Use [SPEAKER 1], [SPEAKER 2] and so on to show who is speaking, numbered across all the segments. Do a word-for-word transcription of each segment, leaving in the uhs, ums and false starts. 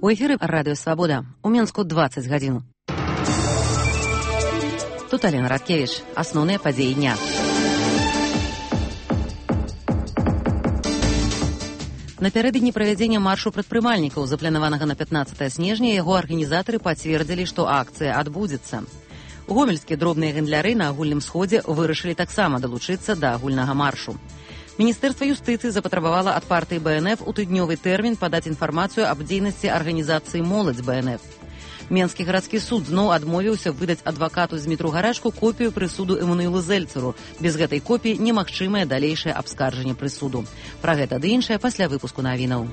[SPEAKER 1] У эфіры радыё Свабода. У Менску дваццаць гадзін. Тут Алена Радкевіч. Асноўныя падзеі дня. Напярэдадні правядзення маршу прадпрымальнікаў, запланаванага на пятнаццатае снежня, яго арганізатары пацвердзілі, што акцыя адбудзецца. Гомельскія дробныя гандляры на агульным сходзе вырашылі таксама далучыцца да агульнага маршу. Міністэрства юстыцыі запатрабавала ад партыі бэ эн эф у тыднёвы тэрмін падаць інфармацыю аб дзейнасці арганізацыі «Моладзь» бэ эн эф. Менскі гарадскі суд зноў адмовіўся выдаць адвакату Змітру Гарашку копію прысуду Эммануілу Зельцеру. Без гэтай копіі немагчымае далейшае абскарджанне прысуду. Пра гэта ды іншае пасля выпуску навінаў.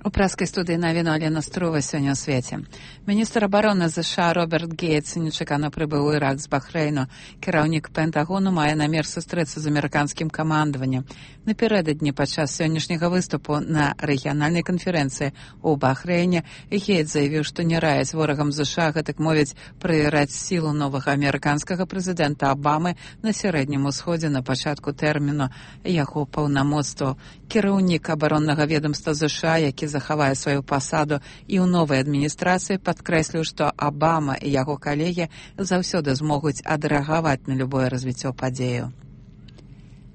[SPEAKER 2] У праскай студыі навіну Алена Струва сёння ў свеце. Міністр абароны ЗША Роберт Гейтс нечакана прыбыў у Ірак з Бахрэйну. Кіраўнік Пентагону мае намер сустрэцца з амерыканскім камандаваннем. Напярэдадні падчас сённяшняга выступу на рэгіянальнай канферэнцыі ў Бахрэйне Гейтс заявіў, што не раяць ворагам ЗША, гэтак мовіць, правераць сілу новага амерыканскага прэзідэнта Абамы на сярэднім усходзе на пачатку тэрміну яго паўнамоцтваў. Кіраўнік абароннага ведамства ЗША, які захавае сваю пасаду і ў новай адміністрацыі, падкрэсліў, што Абама і яго калегі заўсёды змогуць адрэагаваць на любое развіццё падзею.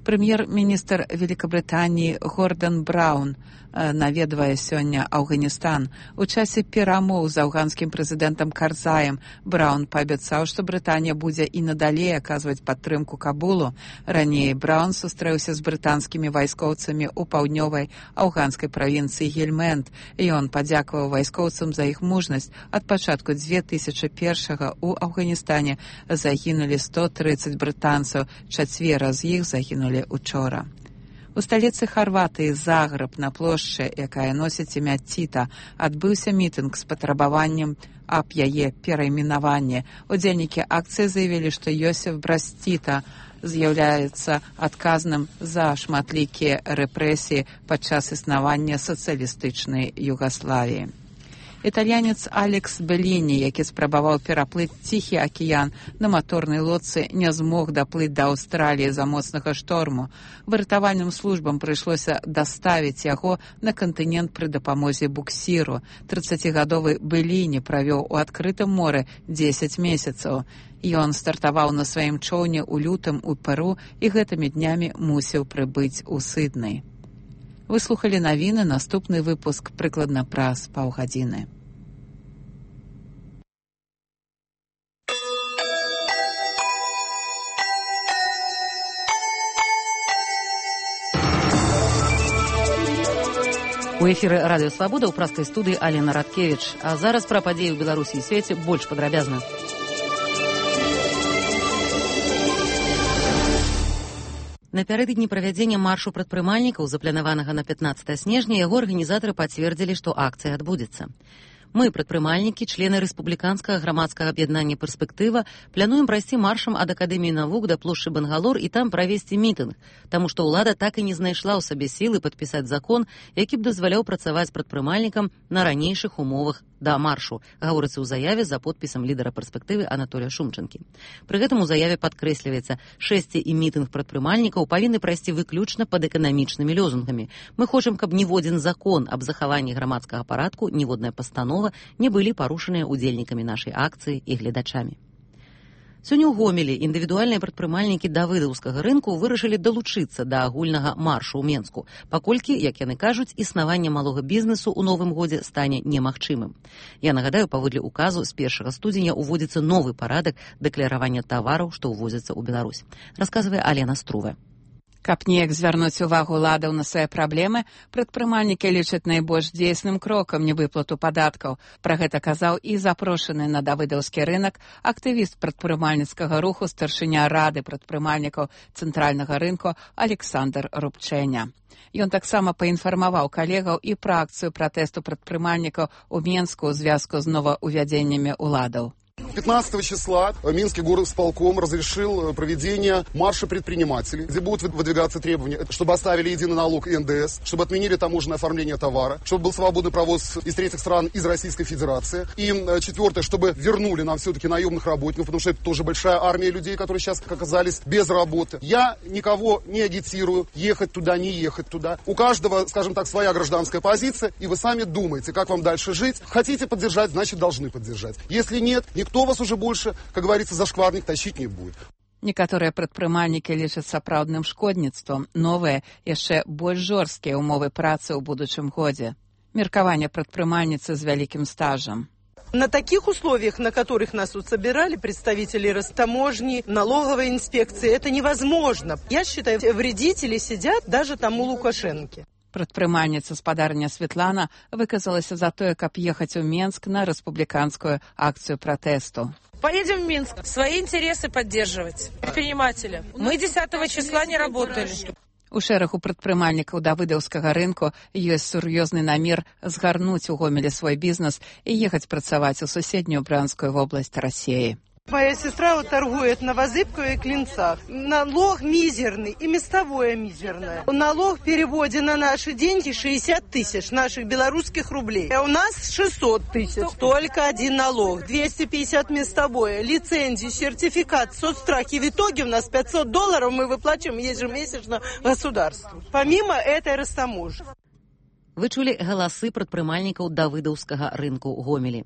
[SPEAKER 2] Прэм'ер-міністр Великабрытаніі Гордан Браўн наведвае сёння Афганістан. У часе перамоў з афганскім прэзідэнтам Карзаем Браўн паабяцаў, што Брытанія будзе і надалей аказваць падтрымку Кабулу. Раней Браўн сустрэўся з брытанскімі вайскоўцамі ў паўднёвай афганскай правінцыі Гельмэнд. Ён падзякаваў вайскоўцам за іх мужнасць. Ад пачатку дзве тысячы першага ў Афганістане загінулі сто трыццаць брытанцаў, чацвера з іх загінулі учора. У сталіцы Харватыі Загрэб на плошчы, якая носіць імя Тіта, адбыўся мітынг з патрабаваннем аб яе перайменаванні. Удзельнікі акцыі заявілі, што Йосеф Браз Тіта з'яўляецца адказным за шматлікія рэпрэсіі падчас існавання сацыялістычнай Югаславіі. Італьянец Алекс Беліні, які спрабаваў пераплыць Ціхі акіян на маторнай лодцы, не змог даплыць да Аўстраліі за моцнага шторму. Выратавальным службам прыйшлося даставіць яго на кантынент пры дапамозе буксіру. трыццацігадовы Беліні правёў у адкрытым моры дзесяць месяцаў. Ён стартаваў на сваім чоўне ў лютым у Перу і гэтымі днямі мусіў прыбыць у Сідней. Вы слухалі навіны, наступны выпуск прыкладна праз паўгадзіны.
[SPEAKER 1] У эфіры радыё Свабода ў праскай студыі Алена Радкевіч. А зараз пра падзеі ў Беларусі і свеце больш падрабязна. Напярэдадні правядзення маршу прадпрымальнікаў, запланаванага на пятнаццатае снежня, яго арганізатары пацвердзілі, што акцыя адбудзецца. Мы, прадпрымальнікі, члены рэспубліканскага грамадскага аб'яднання «Перспектыва», плануем прайсці маршам ад Акадэміі навук да плошчы Бангалор і там правесці мітынг, таму што ўлада так і не знайшла ў сабе сілы падпісаць закон, які б дазваляў працаваць прадпрымальнікам на ранейшых умовах да маршу, гаворыцца ў заяве за подпісам лідара «Перспектывы» Анатолія Шумчанкі. Пры гэтым у заяве падкрэсліваецца, шэсце і мітынг прадпрымальнікаў павінны прайсці выключна пад эканамічнымі лёзунгамі. Мы хочам, каб ніводзін закон аб захаванні грамадскага парадку, ніводная пастанова не былі парушаныя удзельнікамі нашай акцыі і гледачамі. Сёння ў Гомелі індывідуальныя прадпрымальнікі давыдаўскага рынку вырашылі далучыцца да агульнага маршу ў Менску, паколькі, як яны кажуць, існаванне малога бізнесу ў новым годзе стане немагчымым. Я нагадаю, паводле указу з першага студзеня уводзіцца новы парадак дэкларавання тавараў, што ўвозяцца ў Беларусь. Расказвае Алена Струва.
[SPEAKER 2] Каб неяк звярнуць увагу уладаў на свае праблемы, прадпрымальнікі лічаць найбольш дзейсным крокам невыплату падаткаў. Пра гэта казаў і запрошаны на давыдаўскі рынак актывіст прадпрымальніцкага руху, старшыня рады прадпрымальнікаў цэнтральнага рынку Александр Рубчэня. Ён таксама паінфармаваў калегаў і пра акцыю пратэсту прадпрымальнікаў у Менску ў звязку з новаўвядзеннямі ўладаў.
[SPEAKER 3] пятнадцатого числа Минский горосполком разрешил проведение марша предпринимателей, где будут выдвигаться требования, чтобы оставили единый налог и эн дэ эс, чтобы отменили таможенное оформление товара, чтобы был свободный провоз из третьих стран, из Российской Федерации. И четвертое, чтобы вернули нам все-таки наемных работников, потому что это тоже большая армия людей, которые сейчас оказались без работы. Я никого не агитирую ехать туда, не ехать туда. У каждого, скажем так, своя гражданская позиция, и вы сами думаете, как вам дальше жить. Хотите поддержать, значит, должны поддержать. Если нет, никто вас уже больше, как говорится, за шкварник тащить не будет.
[SPEAKER 2] Некаторыя прадпрымальнікі лічаць сапраўдным шкодніцтвам новыя, яшчэ больш жорсткія ўмовы працы ў будучым годзе. Меркаванне прадпрымальніцы з вялікім стажам.
[SPEAKER 4] На таких условиях, на которых нас тут собирали представители Ростаможни, налоговой инспекции, это невозможно. Я считаю, вредители сидят даже там у Лукашенки.
[SPEAKER 2] Прадпрымальніца спадарня Светлана выказалася за тое, каб ехаць у Менск на рэспубліканскую акцию пратэсту.
[SPEAKER 5] Поедем в Минск, свои интересы поддерживать. Предприниматели. Мы десятого числа не работали.
[SPEAKER 2] У шэрагу прадпрымальнікаў давыдаўскага рынку ёсць сур'ёзны намер згарнуць у Гомелі свой бізнес і ехаць працаваць у суседнюю Брянскую вобласць России.
[SPEAKER 4] Моя сестра вот торгует на Возыбкове и Клинцах. Налог мизерный и местовое мизерное. Налог в переводе на наши деньги шестьдесят тысяч наших белорусских рублей. А у нас шестьсот тысяч. Только один налог. двести пятьдесят местовое. Лицензии, сертификат, соцстрахи. В итоге у нас пятьсот долларов мы выплачиваем ежемесячно государству. Помимо этой Ростаможни.
[SPEAKER 1] Вы чулі галасы прадпрымальнікаў давыдаўскага рынку ў Гомелі.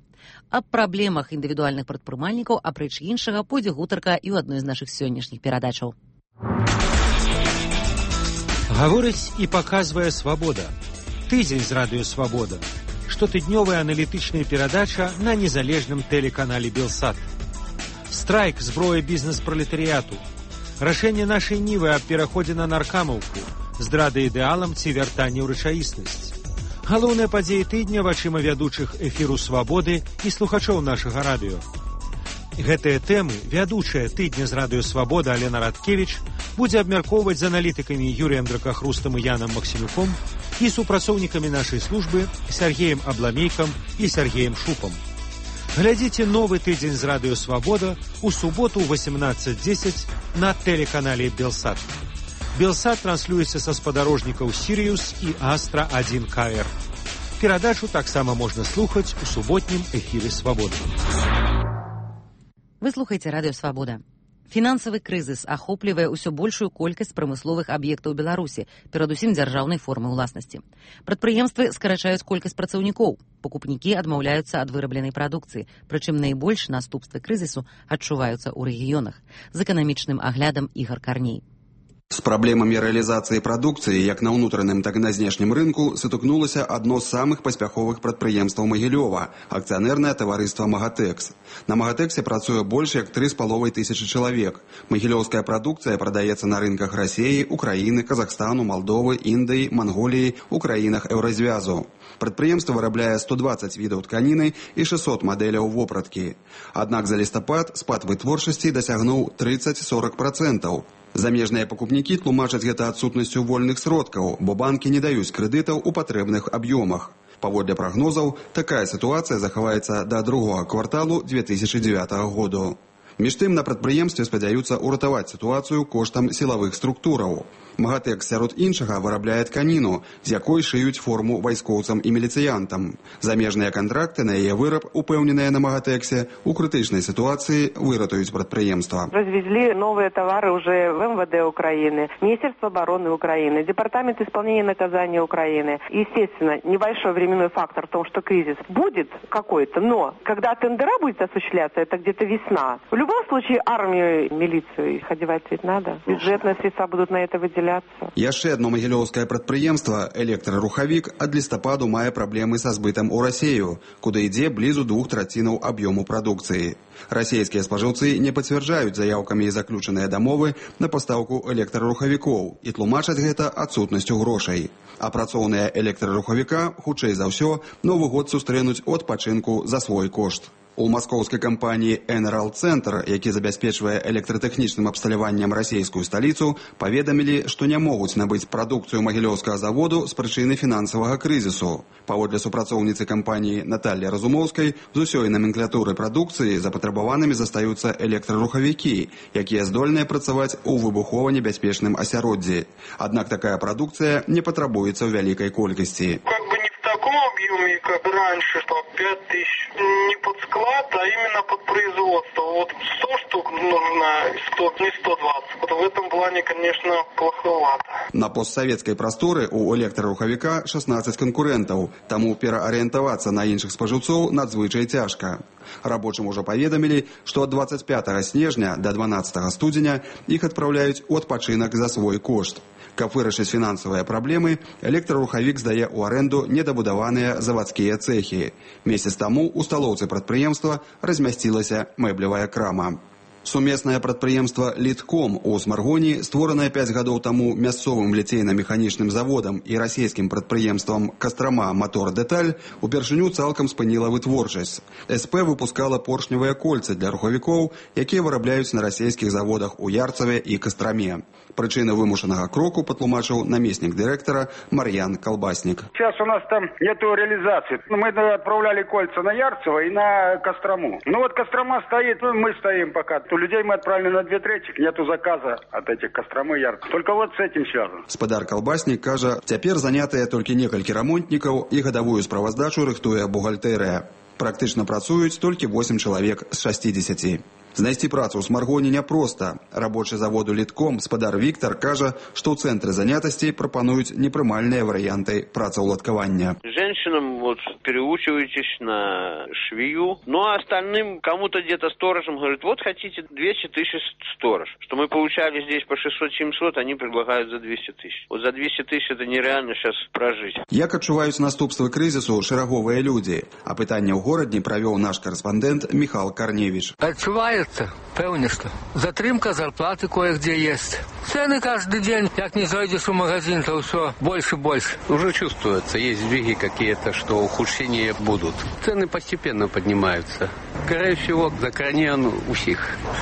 [SPEAKER 1] Аб праблемах індывідуальных прадпрымальнікаў, апроч іншага, пойдзе гутарка і ў адной з нашых сённяшніх перадачаў.
[SPEAKER 6] Гаворыць і паказвае «Свабода». Тыдзень з радыё «Свабода». Штотыднёвая аналітычная перадача на незалежным тэлеканале «Белсат». Страйк зброя бізнес-пралетарыяту. Рашэнне нашай нівы аб пераходзе на наркамаўку. Здрада ідэалам ці вяртанне ў рэчаіснасць. Галоўныя падзеі тыдня вачыма вядучых эфіру «Свабоды» і слухачоў нашага радыё. Гэтыя тэмы вядучая тыдня з радыё «Свабода» Алена Радкевіч будзе абмяркоўваць з аналітыкамі Юрыем Дракахрустам і Янам Максімюком і супрацоўнікамі нашай службы Сергеем Абламейкам і Сергеем Шупам. Глядзіце новы тыдзень з радыё «Свабода» у суботу ў восемнадцать десять на тэлеканале «Белсат». Белсат транслюецца са спадарожнікаў «Сіриус» і «Астра один ка эр». Перадачу таксама можна слухаць у суботнім эфіры «Свабоды».
[SPEAKER 1] Вы слухаеце радыё «Свабода». Фінансавы крызіс ахоплівае ўсё большую колькасць прамысловых аб'ектаў Беларусі, перадусім дзяржаўнай формы ўласнасці. Прадпрыемствы скарачаюць колькасць працаўнікоў, пакупнікі адмаўляюцца ад вырабленай прадукцыі, прычым найбольш наступствы крызісу адчуваюцца ў рэгіёнах. З эканамічным аглядам Ігар Карней.
[SPEAKER 7] З праблемамі рэалізацыі прадукцыі як на ўнутраным, так і на знешнім рынку сутыкнулася адно з самых паспяховых прадпрыемстваў Магілёва – акцыянернае таварыства «Магатэкс». На «Магатэксе» працуе больш як тры з паловай тысячы чалавек. Магілёўская прадукцыя прадаецца на рынках Расіі, Украіны, Казахстану, Малдовы, Індыі, Манголіі, у краінах Еўразвязу. Прадпрыемства вырабляе сто дваццаць відаў тканіны і шэсцьсот мадэляў вопраткі. Аднак за лістапад спад вытворчасці дасягнуў трыццаць-сорак працэнтаў. Замежныя пакупнікі тлумачаць гэта адсутнасцю вольных сродкаў, бо банкі не даюць крэдытаў у патрэбных аб'ёмах. Паводле прагнозаў, такая сітуацыя захаваецца да другога кварталу две тысячы дзевятага году. Між тым на прадпрыемстве спадзяюцца ўратаваць сітуацыю коштам сілавых структураў. «Магатэкс» сярод іншага вырабляе тканіну, з якой шыюць форму вайскоўцам і міліцыянтам. Замежныя кантракты на яе выраб, упэўненыя на «Магатэксе», у крытычнай сітуацыі выратуюць прадпрыемства.
[SPEAKER 8] Развезли новые товары уже в эм вэ дэ Украины, Министерство обороны Украины, Департамент исполнения наказания Украины. Естественно, небольшой временной фактор в том, что кризис будет какой-то, но когда тендера будет осуществляться, это где-то весна. В любом случае армию, милицию их одевать ведь надо. Бюджетные средства будут на это выделяться.
[SPEAKER 7] Яшчэ одно магілёўскае прадпрыемства «Электрарухавік» ад лістападу мае праблемы са збытам у Расею, куды ідзе блізу двух трацінаў аб'ёму прадукцыі. Расейскія спажыўцы не пацвярджаюць заяўкамі заключаныя дамовы на пастаўку электрарухавікоў і тлумачаць гэта адсутнасцю грошай. А працоўныя электрарухавіка, хутчэй за ўсё, Новы год сустрэнуць у адпачынку за свой кошт. У маскоўскай кампаніі «Энерал Центр», які забяспечвае электратэхнічным абсталяваннем расійскую сталіцу, паведамілі, што не могуць набыць прадукцыю магілёўскага заводу з прычыны фінансавага крызісу. Паводле супрацоўніцы кампаніі Наталлі Разумоўскай, з усёй наменклатуры прадукцыі запатрабаванымі застаюцца электрарухавікі, якія здольныя працаваць у выбухова-небяспечным асяроддзі. Аднак такая прадукцыя не патрабуецца ў вялікай колькасці.
[SPEAKER 9] В таком объеме, как раньше, по пять тысяч, не под склад, а именно под производство. Вот сто штук нужно, сто, не сто двадцать. Вот в этом плане, конечно, плоховато.
[SPEAKER 7] На постсоветской прасторы у электрарухавіка шестнадцать конкурентаў, таму пераарыентавацца на іншых спажыўцоў надзвычай цяжка. Рабочым ужо паведамілі, што ад двадцать пятого снежня да дванаццатого студзеня іх адпраўляюць у адпачынак за свой кошт. Каб вырашыць фінансавыя праблемы, электрарухавік здае ў арэнду недабудаваныя завадскія цэхі. Месяц таму у сталоўцы прадпрыемства размясцілася мэблевая крама. Сумеснае прадпрыемства «Літком» у Смаргоні, створанае пяць гадоў таму мясцовым ліцейна-механічным заводам і расійскім прадпрыемствам «Кастрама Мотор Деталь», упершыню цалкам спыніла вытворчасць. СП выпускала поршневыя кольцы для рухавікоў, якія вырабляюць на расійскіх заводах у Ярцаве і Кастраме. Причины вымушанага кроку патлумачыў намеснік директора Марьян Колбасник.
[SPEAKER 10] Сейчас у нас там нету реализации. Мы отправляли кольца на Ярцево и на Кострому. Ну вот Кострома стоит, мы стоим пока. У людей мы отправили на две трети, нету заказа от этих Костромы и Ярцева. Только вот с этим связано.
[SPEAKER 7] Спадар Колбасник кажа, цяпер занятыя толькі некалькі рамонтнікаў і гадавую справаздачу рыхтуе бухгалтэрыя. Практычна працуюць толькі восемь чалавек з шестидесяти. Знайсці працу ў Смаргоне няпроста. Рабочы заводу «Літком» спадар Віктор кажа, што ў цэнтры занятасці прапануюць непрымальныя варыянты працаўладкавання.
[SPEAKER 11] Женщинам вот переучиваетесь на швею, ну а остальным кому-то где-то сторожем говорят, вот хотите двести тысяч сторож. Что мы получали здесь по шестьсот-семьсот, они предлагают за двести тысяч. Вот за двести тысяч это нереально сейчас прожить.
[SPEAKER 7] Як адчуваюць наступствы крызісу шэраговыя людзі? А пытанне ў горадні правёў наш карэспандэнт Михал Карневич.
[SPEAKER 12] Адчуваецца, пэўне, што затрымка зарплаты кое-где есть. Цены каждый день, как не зайдешь в магазин, то все больше и больше.
[SPEAKER 13] Уже чувствуется, есть сдвиги какие-то, что ухудшения будут. Цены постепенно поднимаются. Скорее всего, закранен у всех.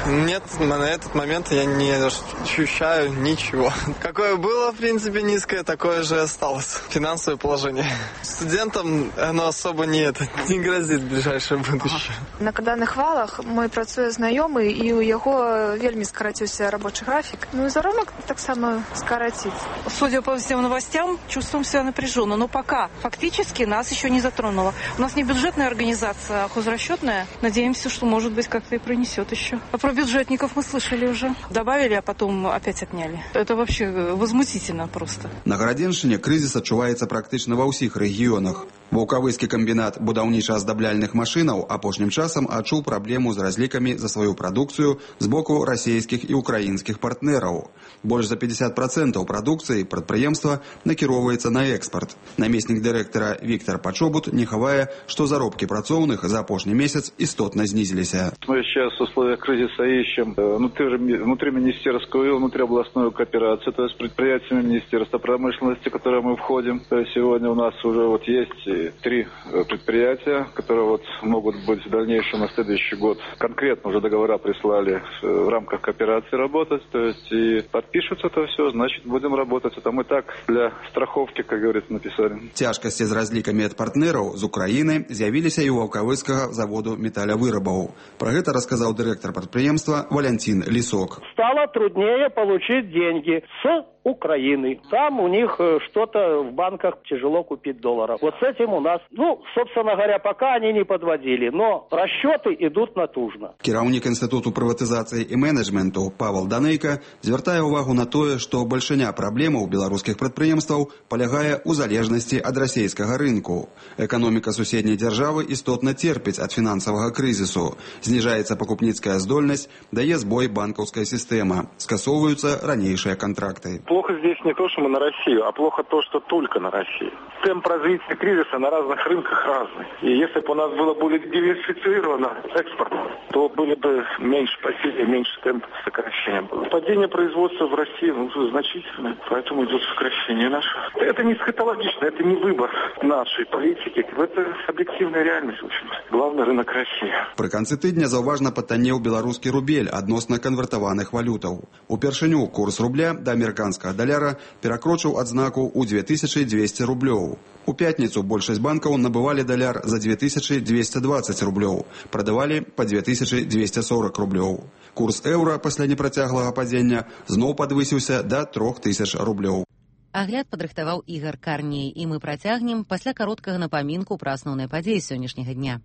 [SPEAKER 14] Нет, на этот момент я не ощущаю ничего. Какое было, в принципе, низкое, такое же осталось. Финансовое положение. Студентам оно особо не, это, не грозит в ближайшее будущее.
[SPEAKER 15] На каданых валах мой працуе знаёмы, і у яго вельмі скараціўся рабочий график. Ну и заробок так само скоротит.
[SPEAKER 5] Судя по всем новостям, чувствуем себя напряженно. Но пока фактически нас еще не затронуло. У нас не бюджетная организация, а хозрасчетная. Надеемся, что, может быть, как-то и пронесет еще. А про бюджетников мы слышали уже. Добавили, а потом опять отняли. Это вообще возмутительно просто.
[SPEAKER 7] На Гарадзеншчыне крызіс адчуваецца практычна ва ўсіх рэгіёнах. Ваўкавыскі камбінат будаўніча-аздабяльных машынаў апошнім часам адчуў праблему з разлікамі за сваю прадукцыю з боку расійскіх і украінскіх партнераў. Больш за пятьдесят процентов прадукцыі прадпрыемства накіроўваецца на экспорт. Намеснік дырэктара Віктор Пачобут не хавае, што заробкі працоўных за апошні месяц істотна знизилися.
[SPEAKER 16] Мы сейчас в условиях кризиса ищем внутри, внутриминистерскую и внутриобластную кооперацию, то есть предприятиями Министерства промышленности, в которое мы входим. То есть сегодня у нас уже вот есть три предприятия, которые вот могут быть в дальнейшем на следующий год. Конкретно уже договора прислали в рамках кооперации работать, то есть и подпишутся это все, значит будем работать. Это мы так для страховки, как говорится, написали.
[SPEAKER 7] Цяжкасці з разлікамі ад партнераў з Украіны з'явіліся і ў ваўкавыскага заводу металловырабаў. Про гэта рассказал директор предприемства Валентин Лисок.
[SPEAKER 17] Стало труднее получить деньги с Украины. Там у них что-то в банках тяжело купить долларов. Вот с этим у нас, ну, собственно говоря, пока они не подводили, но расчеты идут натужно.
[SPEAKER 7] Кіраўнік Інстытуту прыватызацыі і менеджменту Павел Данейка звяртае ўвагу на тое, што бальшыня праблемаў беларускіх прадпрыемстваў палягае ў залежнасці ад расійскага рынку. Эканоміка суседняй дзяржавы істотна церпіць ад фінансавага крызісу. Зніжаецца пакупніцкая здольнасць, дае збой банкаўская сістэма, скасоўваюцца ранейшыя кантракты.
[SPEAKER 18] Плохо здесь не то, что мы на Россию, а плохо то, что только на Россию. Темп развития кризиса на разных рынках разный. И если бы у нас было более диверсифицировано экспорт, то были бы меньше потерь, меньше темп сокращения. Падение производства в России ну, значительное, поэтому идет сокращение наше. Это не эсхатологично, это не выбор нашей политики. Это объективная реальность, в общем. Главный рынок России.
[SPEAKER 7] Пры канцы тыдня заўважна патаннеў беларускі рубель адносна канвертаваных валютаў. Упершыню курс рубля да амерыканскага даляра перакрочыў адзнаку ў две тысячи двести рублёў. У пятніцу большасць банкаў набывалі даляр за две тысячи двести двадцать рублёў, прадавалі па две тысячи двести сорок рублёў. Курс еўра пасля непрацяглага падзення зноў падвысіўся да трох тысяч рублёў.
[SPEAKER 1] Агляд падрыхтаваў Ігар Карней, і мы працягнем пасля кароткага напамінку пра асноўныя падзеі сённяшняга дня.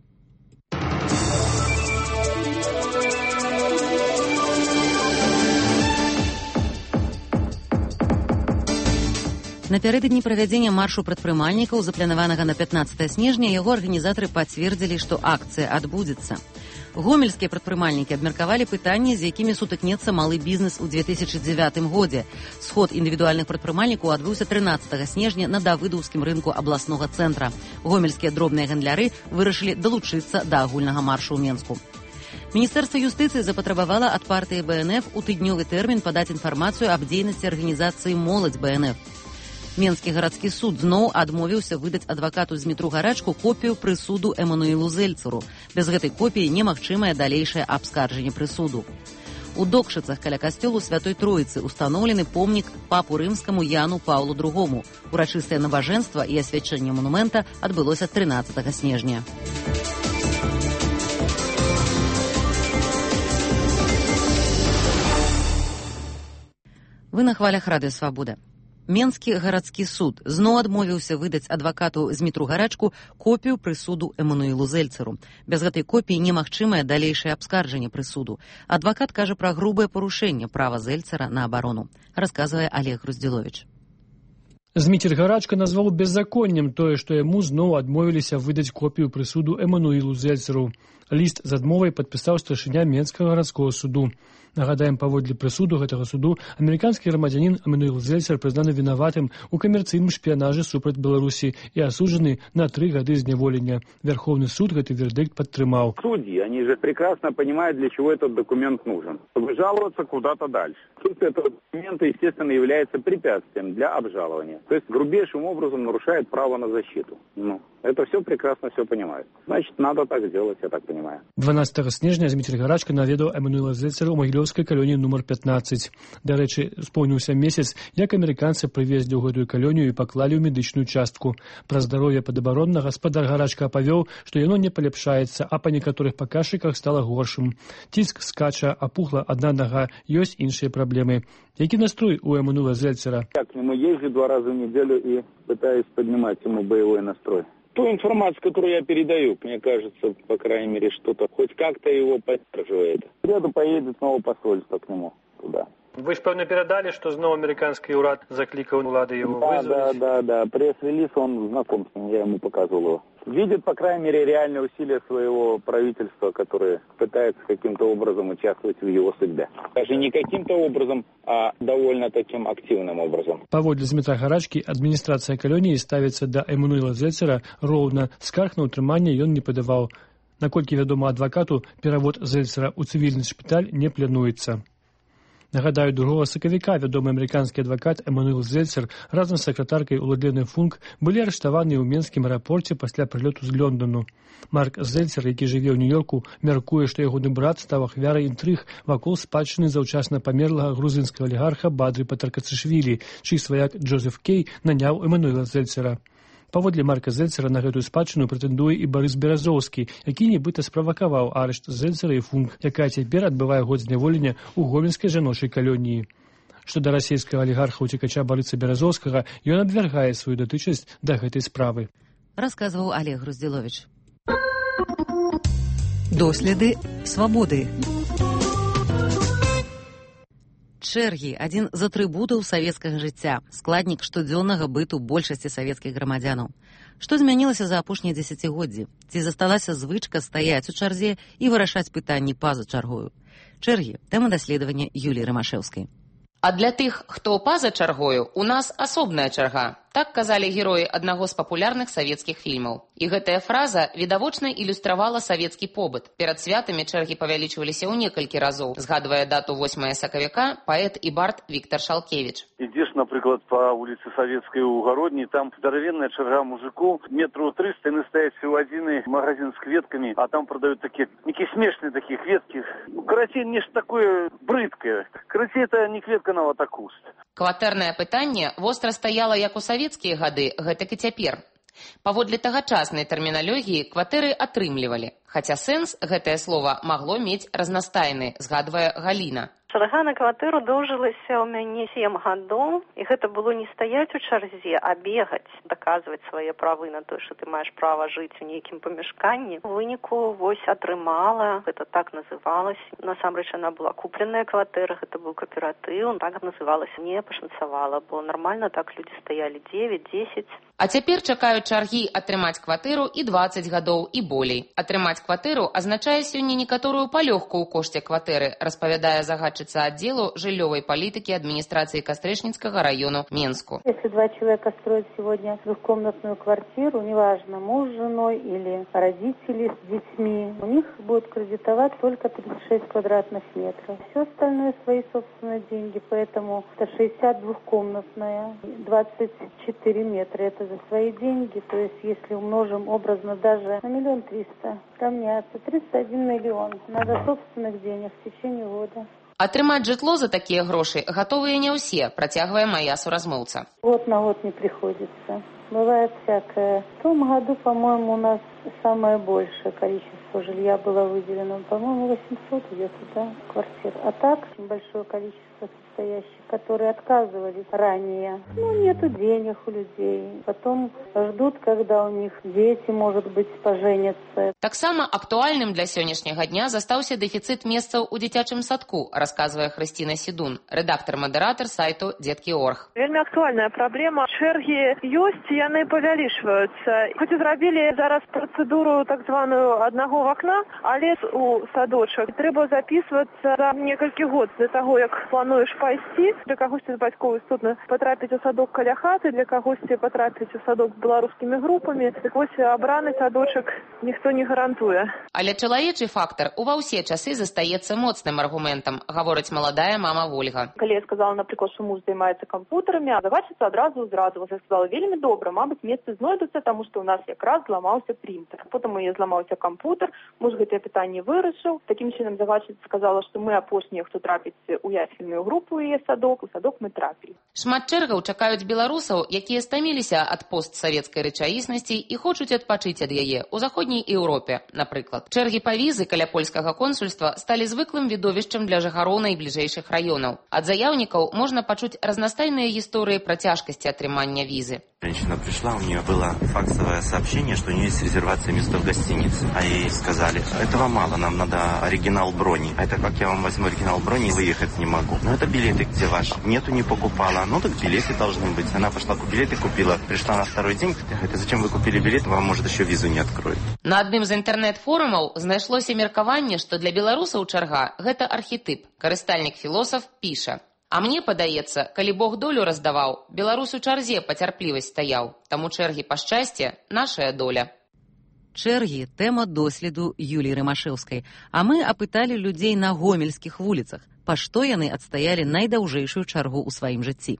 [SPEAKER 1] Напярэдадні правядзення маршу прадпрымальнікаў, запланаванага на пятнаццатае снежня, яго арганізатары пацвердзілі, што акцыя адбудзецца. Гомельскія прадпрымальнікі абмеркавалі пытанні, з якімі сутыкнецца малы бізнес у две тысячи дзевятым годзе. Сход індывідуальных прадпрымальнікаў адбыўся трынаццатага снежня на давыдаўскім рынку абласнога цэнтра. Гомельскія дробныя гандляры вырашылі далучыцца да агульнага маршу ў Менску. Міністэрства юстыцыі запатрабавала ад партыі бэ эн эф у тыднёвы тэрмін падаць інфармацыю аб дзейнасці арганізацыі «Моладзь бэ эн эф». Менскі гарадскі суд зноў адмовіўся выдаць адвакату Змітру Гарачку копію прысуду Эмануілу Зельцеру. Без гэтай копіі немагчымае далейшае абскарджанне прысуду. У Докшыцах каля касцёлу Святой Троіцы устаноўлены помнік папу рымскаму Яну Паўлу другому. Урачыстае набажэнства і асвячэнне манумента адбылося трынаццатага снежня. Вы на хвалях Радыё Свабода. Менскі гарадскі суд зноў адмовіўся выдаць адвакату Змітру Гарачку копію прысуду Эмануілу Зельцеру. Без гэтай копіі немагчымае далейшае абскарджанне прысуду. Адвакат кажа пра грубае парушэнне права Зельцера на абарону, расказвае Олег Груздзіловіч.
[SPEAKER 19] Зміцер Гарачка назваў беззаконнем тое, што яму зноў адмовіліся выдаць копію прысуду Эмануілу Зельцеру. Ліст з адмовай падпісаў старшыня Менскага гарадскога суду. Нагадаем, паводле прысуду гэтага суду амерыканскі грамадзянін Эмануіл Зельцер прызнаны вінаватым у камерцыйным шпіянажы супраць Беларусі і асуджаны на три гады зняволення. Верховный суд гэты вердикт подтрымал.
[SPEAKER 20] Судьи, они же прекрасно понимают, для чего этот документ нужен. Чтобы жаловаться куда-то дальше. Суть этого документа, естественно, является препятствием для обжалования. То есть грубейшим образом нарушает право на защиту. Ну, это все прекрасно все понимают. Значит, надо так сделать, я так понимаю.
[SPEAKER 19] дванаццатага снежня Зміцер Гарачка наведаў Эмануіла Зельцера ў Магілёўскай калоніі нумар пятнаццаць. Дарэчы, споўніўся месяц, як амерыканцы прывезлі ў гэтую калонію і паклалі ў медычную частку. Пра здароўе падабаронна гаспадар Гарачка апавёў, што яно не паляпшаецца, а па некаторых паказчыках стала горшым. Ціск скача, апухла адна нага, ёсць іншыя праблемы. Які настрой у Эмануіла Зельцера?
[SPEAKER 20] Я к нему езжу два раза в неделю и пытаюсь поднимать ему боевой настрой. Ту информацию, которую я передаю, мне кажется, по крайней мере, что-то хоть как-то его поддерживает. В среду поедет снова посольство к нему туда.
[SPEAKER 19] Вы ж, певно, передали, что снова американский урад закликал улады его
[SPEAKER 20] да,
[SPEAKER 19] вызвать?
[SPEAKER 20] Да, да, да. Пресс-релиз, он знаком с ним, я ему показывал его. Видит, по крайней мере, реальные усилия своего правительства, которое пытается каким-то образом участвовать в его судьбе. Даже не каким-то образом, а довольно таким активным образом.
[SPEAKER 19] Паводле Змітра Гарачкі, адміністрацыя калоніі ставіцца да Эмануіла Зельцера роўна. Скарг на ўтрыманне ён не падаваў. Наколькі вядома адвакату, перавод Зельцера ў цывільны шпіталь не плануецца. Нагадаю, другого сакавіка вядомы амерыканскі адвакат Эмануіл Зельцер разам з сакратаркай Уладленай Функ былі арыштаваны ў Менскім аэрапорце пасля прылёту з Лондону. Марк Зельцер, які жыве ў Нью-Йорку, мяркуе, што ягоны брат стаў ахвярай інтрыг вакол спадчыны заўчасна памерлага грузінскага алігарха Бадры Патаркацышвілі, чый сваяк Джозеф Кей наняў Эмануіла Зельцера. Паводле Марка Зельцера на гэтую спадчыну прэтэндуе і Барыс Беразоўскі, які нібыта справакаваў арышт Зельцера і Функ, якая цяпер адбывае год зняволення ў гомельскай жаночай калоніі. Што да расійскага алігарха-уцекача Барыса Беразоўскага, ён абвяргае сваю датычнасць да гэтай справы.
[SPEAKER 1] Расказваў Олег Груздзіловіч. Доследы свабоды. Чэргі – адзін з атрыбутаў савецкага жыцця, складнік штодзённага быту большасці савецкіх грамадзянаў. Што змянілася за апошнія дзесяцігоддзі? Ці засталася звычка стаяць у чарзе і вырашаць пытанні па-за чаргою? Чэргі – тэма даследавання Юліі Рымашэўскай.
[SPEAKER 21] А для тых, хто па-за чаргою, у нас асобная чарга. Так казалі героі аднаго з папулярных савецкіх фільмаў. І гэтая фраза відавочна ілюстравала савецкі побыт. Перад святамі чэргі павялічваліся ў некалькі разоў. Згадвае дату восьмага сакавіка паэт і бард Віктор Шалкевіч.
[SPEAKER 22] Ідзеш, напрыклад, па вуліцы Савецкай у Гародні, там здаравенная чарга мужикоў, метру трыста, яны стаяць у адзіны магазин з кветкамі, а там прадаюць такія, нейкія смешныя такія кветкі. Ну, карацей, нешта такое брыдкае. Карацей, это не кветка нават, а куст.
[SPEAKER 21] Кватэрнае пытанне востра стаяла як у савецкія гады, гэтак і цяпер. Паводле тагачаснай тэрміналогіі кватэры атрымлівалі, хаця сэнс гэтае слова магло мець разнастайны, згадвае Галіна.
[SPEAKER 23] Чарга на кватэру доўжылася ў мяне сем гадоў, і гэта было не стаяць у чарзе, а бегаць, даказваць свае правы на тое, што ты маеш права жыць у нейкім памяшканні. У выніку вось атрымала, гэта так называлася. Насамрэч, яна была купленая кватэра, гэта быў кааператыў, так называлася, не пашанцавала, бо нармальна так людзі стаялі дзевяць-дзесяць.
[SPEAKER 21] А цяпер чакаюць чаргі атрымаць кватэру і дваццаць гадоў і болей. Атрымаць кватэру азначае сёння некаторую палёгку ў кошце кватэры, распавядае загадчыца отделу жилевой политики администрации Кастрычніцкага району Менску.
[SPEAKER 24] Если два человека строят сегодня двухкомнатную квартиру, неважно, муж с женой или родители с детьми, у них будет кредитовать только тридцать шесть квадратных метров. Все остальное свои собственные деньги, поэтому это шестьдесят двухкомнатная, двадцать четыре метра, это за свои деньги, то есть если умножим образно даже на миллион триста, равняется тридцать один миллион, надо собственных денег в течение года.
[SPEAKER 21] Атрымаць жытло за такія грошы гатовыя не ўсе, працягвае мая суразмоўца.
[SPEAKER 24] Год на год не приходится. Бывает всякое. В том году, по-моему, у нас самое большее количество жилья было выделено. По-моему, восемьсот где-то, да, квартир. А так, очень большое количество состоящих, которые отказывались ранее. Ну, нету денег у людей. Потом ждут, когда у них дети, может быть, поженятся.
[SPEAKER 21] Таксама актуальным для сённяшняга дня застаўся дэфіцыт месцаў у дзіцячым садку, расказвае Хрысціна Сідун, рэдактар-мадэратар сайту дзеткі точка орг.
[SPEAKER 8] Вельмі актуальная праблема. Чэргі ёсць, яны павялічваюцца. Хоць і зрабілі зараз працэдуру так званую аднаго вакна, але у садочак трэба запісвацца за некалькі год для таго, як плануеш пайсці. Для кагосьці з бацькоў істотна патрапіць у садок каля хаты, для кагосьці патрапіць у садок з беларускімі групамі. Так вось абраны садочак ніхто не гарантуе.
[SPEAKER 21] Але чалавечы фактар ува ўсе часы застаецца моцным аргументам, гаворыць маладая мама Вольга.
[SPEAKER 25] Калі я сказала, напрыклад, што муж займаецца кампутарамі, а загадчыца адразу зрадзілася. Я сказала, вельмі добра, мабыць, месцы знойдуцца, таму што ў нас якраз зламаўся принтер. Потым у яе зламаўся кампутар, муж гэтае пытанне вырашыў. Такім чынам загадчыца сказала, што мы апошнія, хто трапіць у ясельную групу у яе садок, у садок мы трапілі.
[SPEAKER 21] Шмат чэргаў чакаюць беларусаў, якія стаміліся ад постсавецкай рэчаіснасці і хочуць адпачыць ад яе у заходняй Еўропе, напрыклад. Чэргі па візы каля польскага консульства сталі звыклым відовішчам для жыхароў найбліжэйшых раёнаў. Ад заяўнікаў можна пачуць разнастайныя гісторыі пра цяжкасці атрымання візы.
[SPEAKER 26] Женщина пришла, у нее было факсовое сообщение, что у нее есть резервация места в гостинице. А ей сказали, этого мало, нам надо оригинал брони. А это как я вам возьму оригинал брони и выехать не могу? Ну это билеты где ваши? Нету, не покупала. Ну так билеты должны быть. Она пошла, билеты купила, пришла на второй день, говорит, зачем вы купили билет, вам может еще визу не откроют.
[SPEAKER 21] На адным з інтэрнэт-форумаў знайшлося меркаванне, што для беларусаў чарга гэта архетып. Карыстальнік-філосаф піша: а мне падаецца, калі Бог долю раздаваў, беларус у чарзе пацярплівасць стаяў, таму чэргі па шчасце нашая доля.
[SPEAKER 1] Чэргі – тэма доследу Юліі Рымашэўскай, а мы апыталі людзей на гомельскіх вуліцах, па што яны адстаялі найдаўжэйшую чаргу ў сваім жыцці.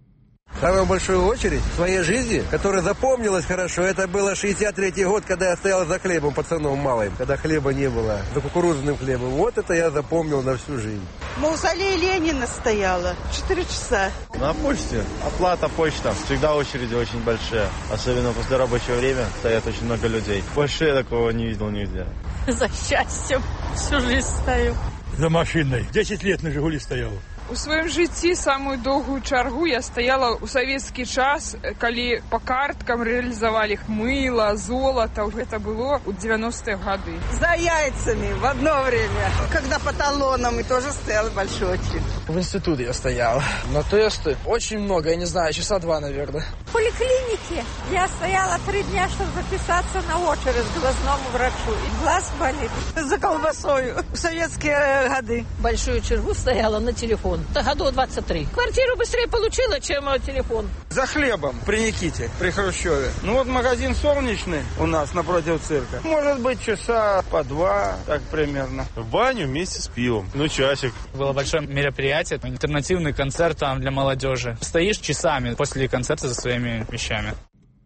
[SPEAKER 27] Самую большую очередь в своей жизни, которая запомнилась хорошо, это было шестьдесят третий год, когда я стоял за хлебом пацаном малым, когда хлеба не было, за кукурузным хлебом. Вот это я запомнил на всю жизнь.
[SPEAKER 4] В мавзолее Ленина стояла четыре часа.
[SPEAKER 28] На почте. Оплата почта. Всегда очереди очень большие. Особенно после рабочего времени стоят очень много людей. Больше я такого не видел нигде.
[SPEAKER 29] За счастьем всю жизнь стою.
[SPEAKER 30] За машиной. Десять лет на «Жигули» стоял.
[SPEAKER 31] У сваім жыцці самую доўгую чаргу я стаяла ў савецкі час, калі па карткам рэалізавалі мыла, золата. Гэта было ў девяностые гады.
[SPEAKER 4] За яйцами в одно время. Когда по талонам и тоже стояла большой очередь.
[SPEAKER 2] В институте я стоял. На тесты очень много, я не знаю, часа два, наверное.
[SPEAKER 3] В поликлинике я стояла три дня, чтобы записаться на очередь к глазному врачу. И глаз болит.
[SPEAKER 4] За колбасою. В советские годы.
[SPEAKER 29] Большую чергу стояла на телефон. Это году двадцать три. Квартиру быстрее получила, чем телефон.
[SPEAKER 2] За хлебом при Никите, при Хрущеве. Ну вот магазин «Солнечный» у нас напротив цирка. Может быть, часа по два, так примерно.
[SPEAKER 5] В баню вместе с пивом. Ну, часик.
[SPEAKER 6] Было большое мероприятие, альтернативный концерт там для молодежи. Стоишь часами после концерта за своими вещами.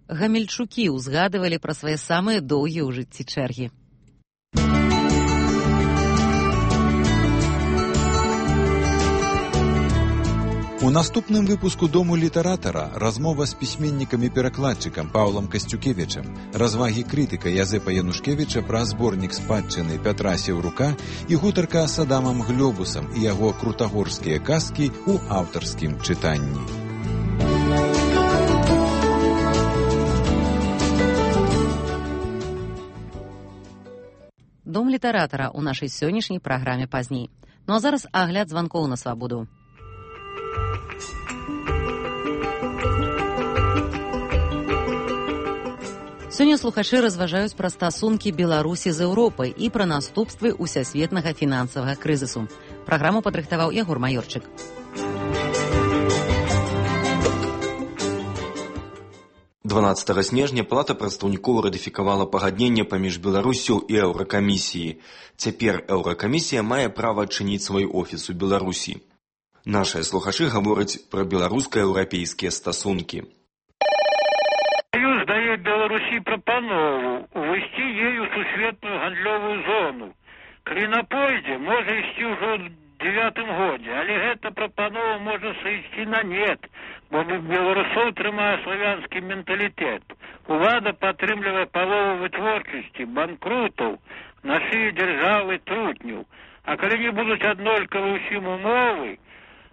[SPEAKER 1] Гамельчукі узгадывали про свои самые долгие ў жыцці чэргі.
[SPEAKER 9] У наступным выпуску «Дому літаратара» размова з пісьменнікам і перакладчыкам Паўлам Касцюкевічам, развагі крытыка Язэпа Янушкевіча пра зборнік спадчыны Пятра Сеўрука і гутарка з Адамам Глёбусам і яго крутагорскія казкі ў аўтарскім чытанні.
[SPEAKER 1] Дом літаратара ў нашай сённяшняй праграме пазней. Ну а зараз агляд званкоў на свабоду. Сёння слухачы разважаюць пра стасункі Беларусі з Еўропай і пра наступствы усесветнага фінансавага крызісу. Праграму падрыхтаваў Ягор Маёрчык.
[SPEAKER 10] дванаццатага снежня Палата прадстаўнікоў ратыфікавала пагадненне паміж Беларусю і Еўракамісіяй. Цяпер Еўракамісія мае права адчыніць свой офіс у Беларусі. Нашыя слухачы гавораць пра беларуска-еўрапейскія стасункі.
[SPEAKER 11] Союз дает Беларуси пропанову увести ею сусветную гандлёвую зону. Калі на пойдзе можа ісці ўжо ў девятым годзе, але гэта прапанова можа сысці на нет, бо беларусоў трымае славянскі менталітэт. Улада падтрымлівае палову вытворчасці, банкрутаў, на шыі дзяржавы трутняў. А калі не будуць аднолькавы ўсім умовы,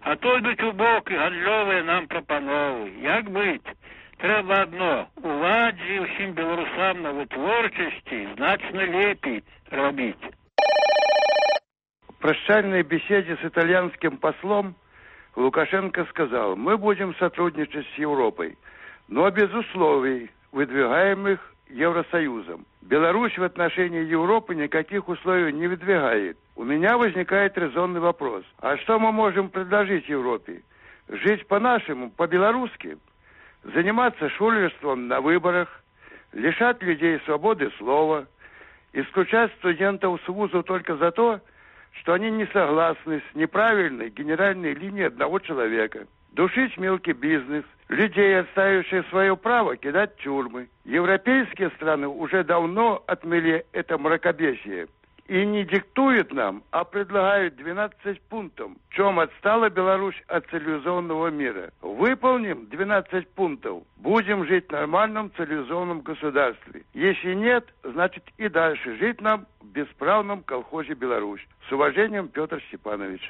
[SPEAKER 11] а то йдуць у бок і гандлёвыя нам прапановы. Як быць? Трэба адно, уладзе і ўсім беларусам на вытворчасці значна лепей рабіць.
[SPEAKER 2] В прощальной беседе с итальянским послом Лукашенко сказал: мы будем сотрудничать с Европой, но без условий, выдвигаемых Евросоюзом. Беларусь в отношении Европы никаких условий не выдвигает. У меня возникает резонный вопрос. А что мы можем предложить Европе? Жить по-нашему, по-белорусски? Заниматься шулерством на выборах, лишать людей свободы слова, исключать студентов с вуза только за то, что они не согласны с неправильной генеральной линией одного человека, душить мелкий бизнес, людей, отстаивающих свое право, кидать в тюрьмы. Европейские страны уже давно отмели это мракобесие и не диктуют нам, а предлагают двенадцать пунктов, в чем отстала Беларусь от цивилизованного мира. Выполним двенадцать пунктов, будем жить в нормальном цивилизованном государстве. Если нет, значит и дальше жить нам в бесправном колхозе Беларусь. С уважением, Петр Степанович.